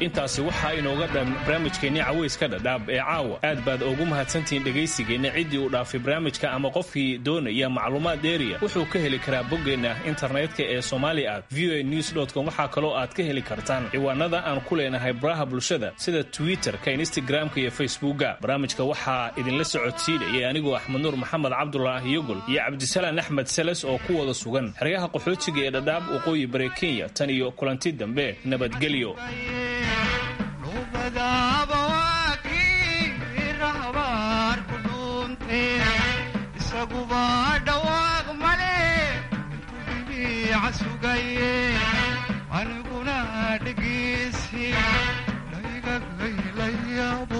Intaasi waxaa inooga dhan barnaamijkeennii caweyska Dhadhaab ee caawa. Aad baad ugu mahadsantihiin dhegaysigeenna. Ciddii uu dhaafay barnaamijka ama qofkii doonaya macluumaad dheeriya wuxuu ka heli karaa boggeenna internetka ee somali at V O A news com. Waxaa kaloo aad ka heli kartaan ciwaanada aan ku leenahay baraha bulshada sida Twitterka, Instagramka iyo Facebooka. Barnaamijka waxaa idinla socodsiinayay anigoo Axmed Nuur Maxamed Cabdulaahi Yogol iyo Cabdisalaan Axmed Seles oo ku wada sugan xeryaha qaxootiga ee Dhadhaab, waqooyi bari Kenya. Tan iyo kulanti dambe, nabadgelyo. Isaguba dhawaaq male intuu sugaye, aniguna dhegeysi laygagaylayaabo.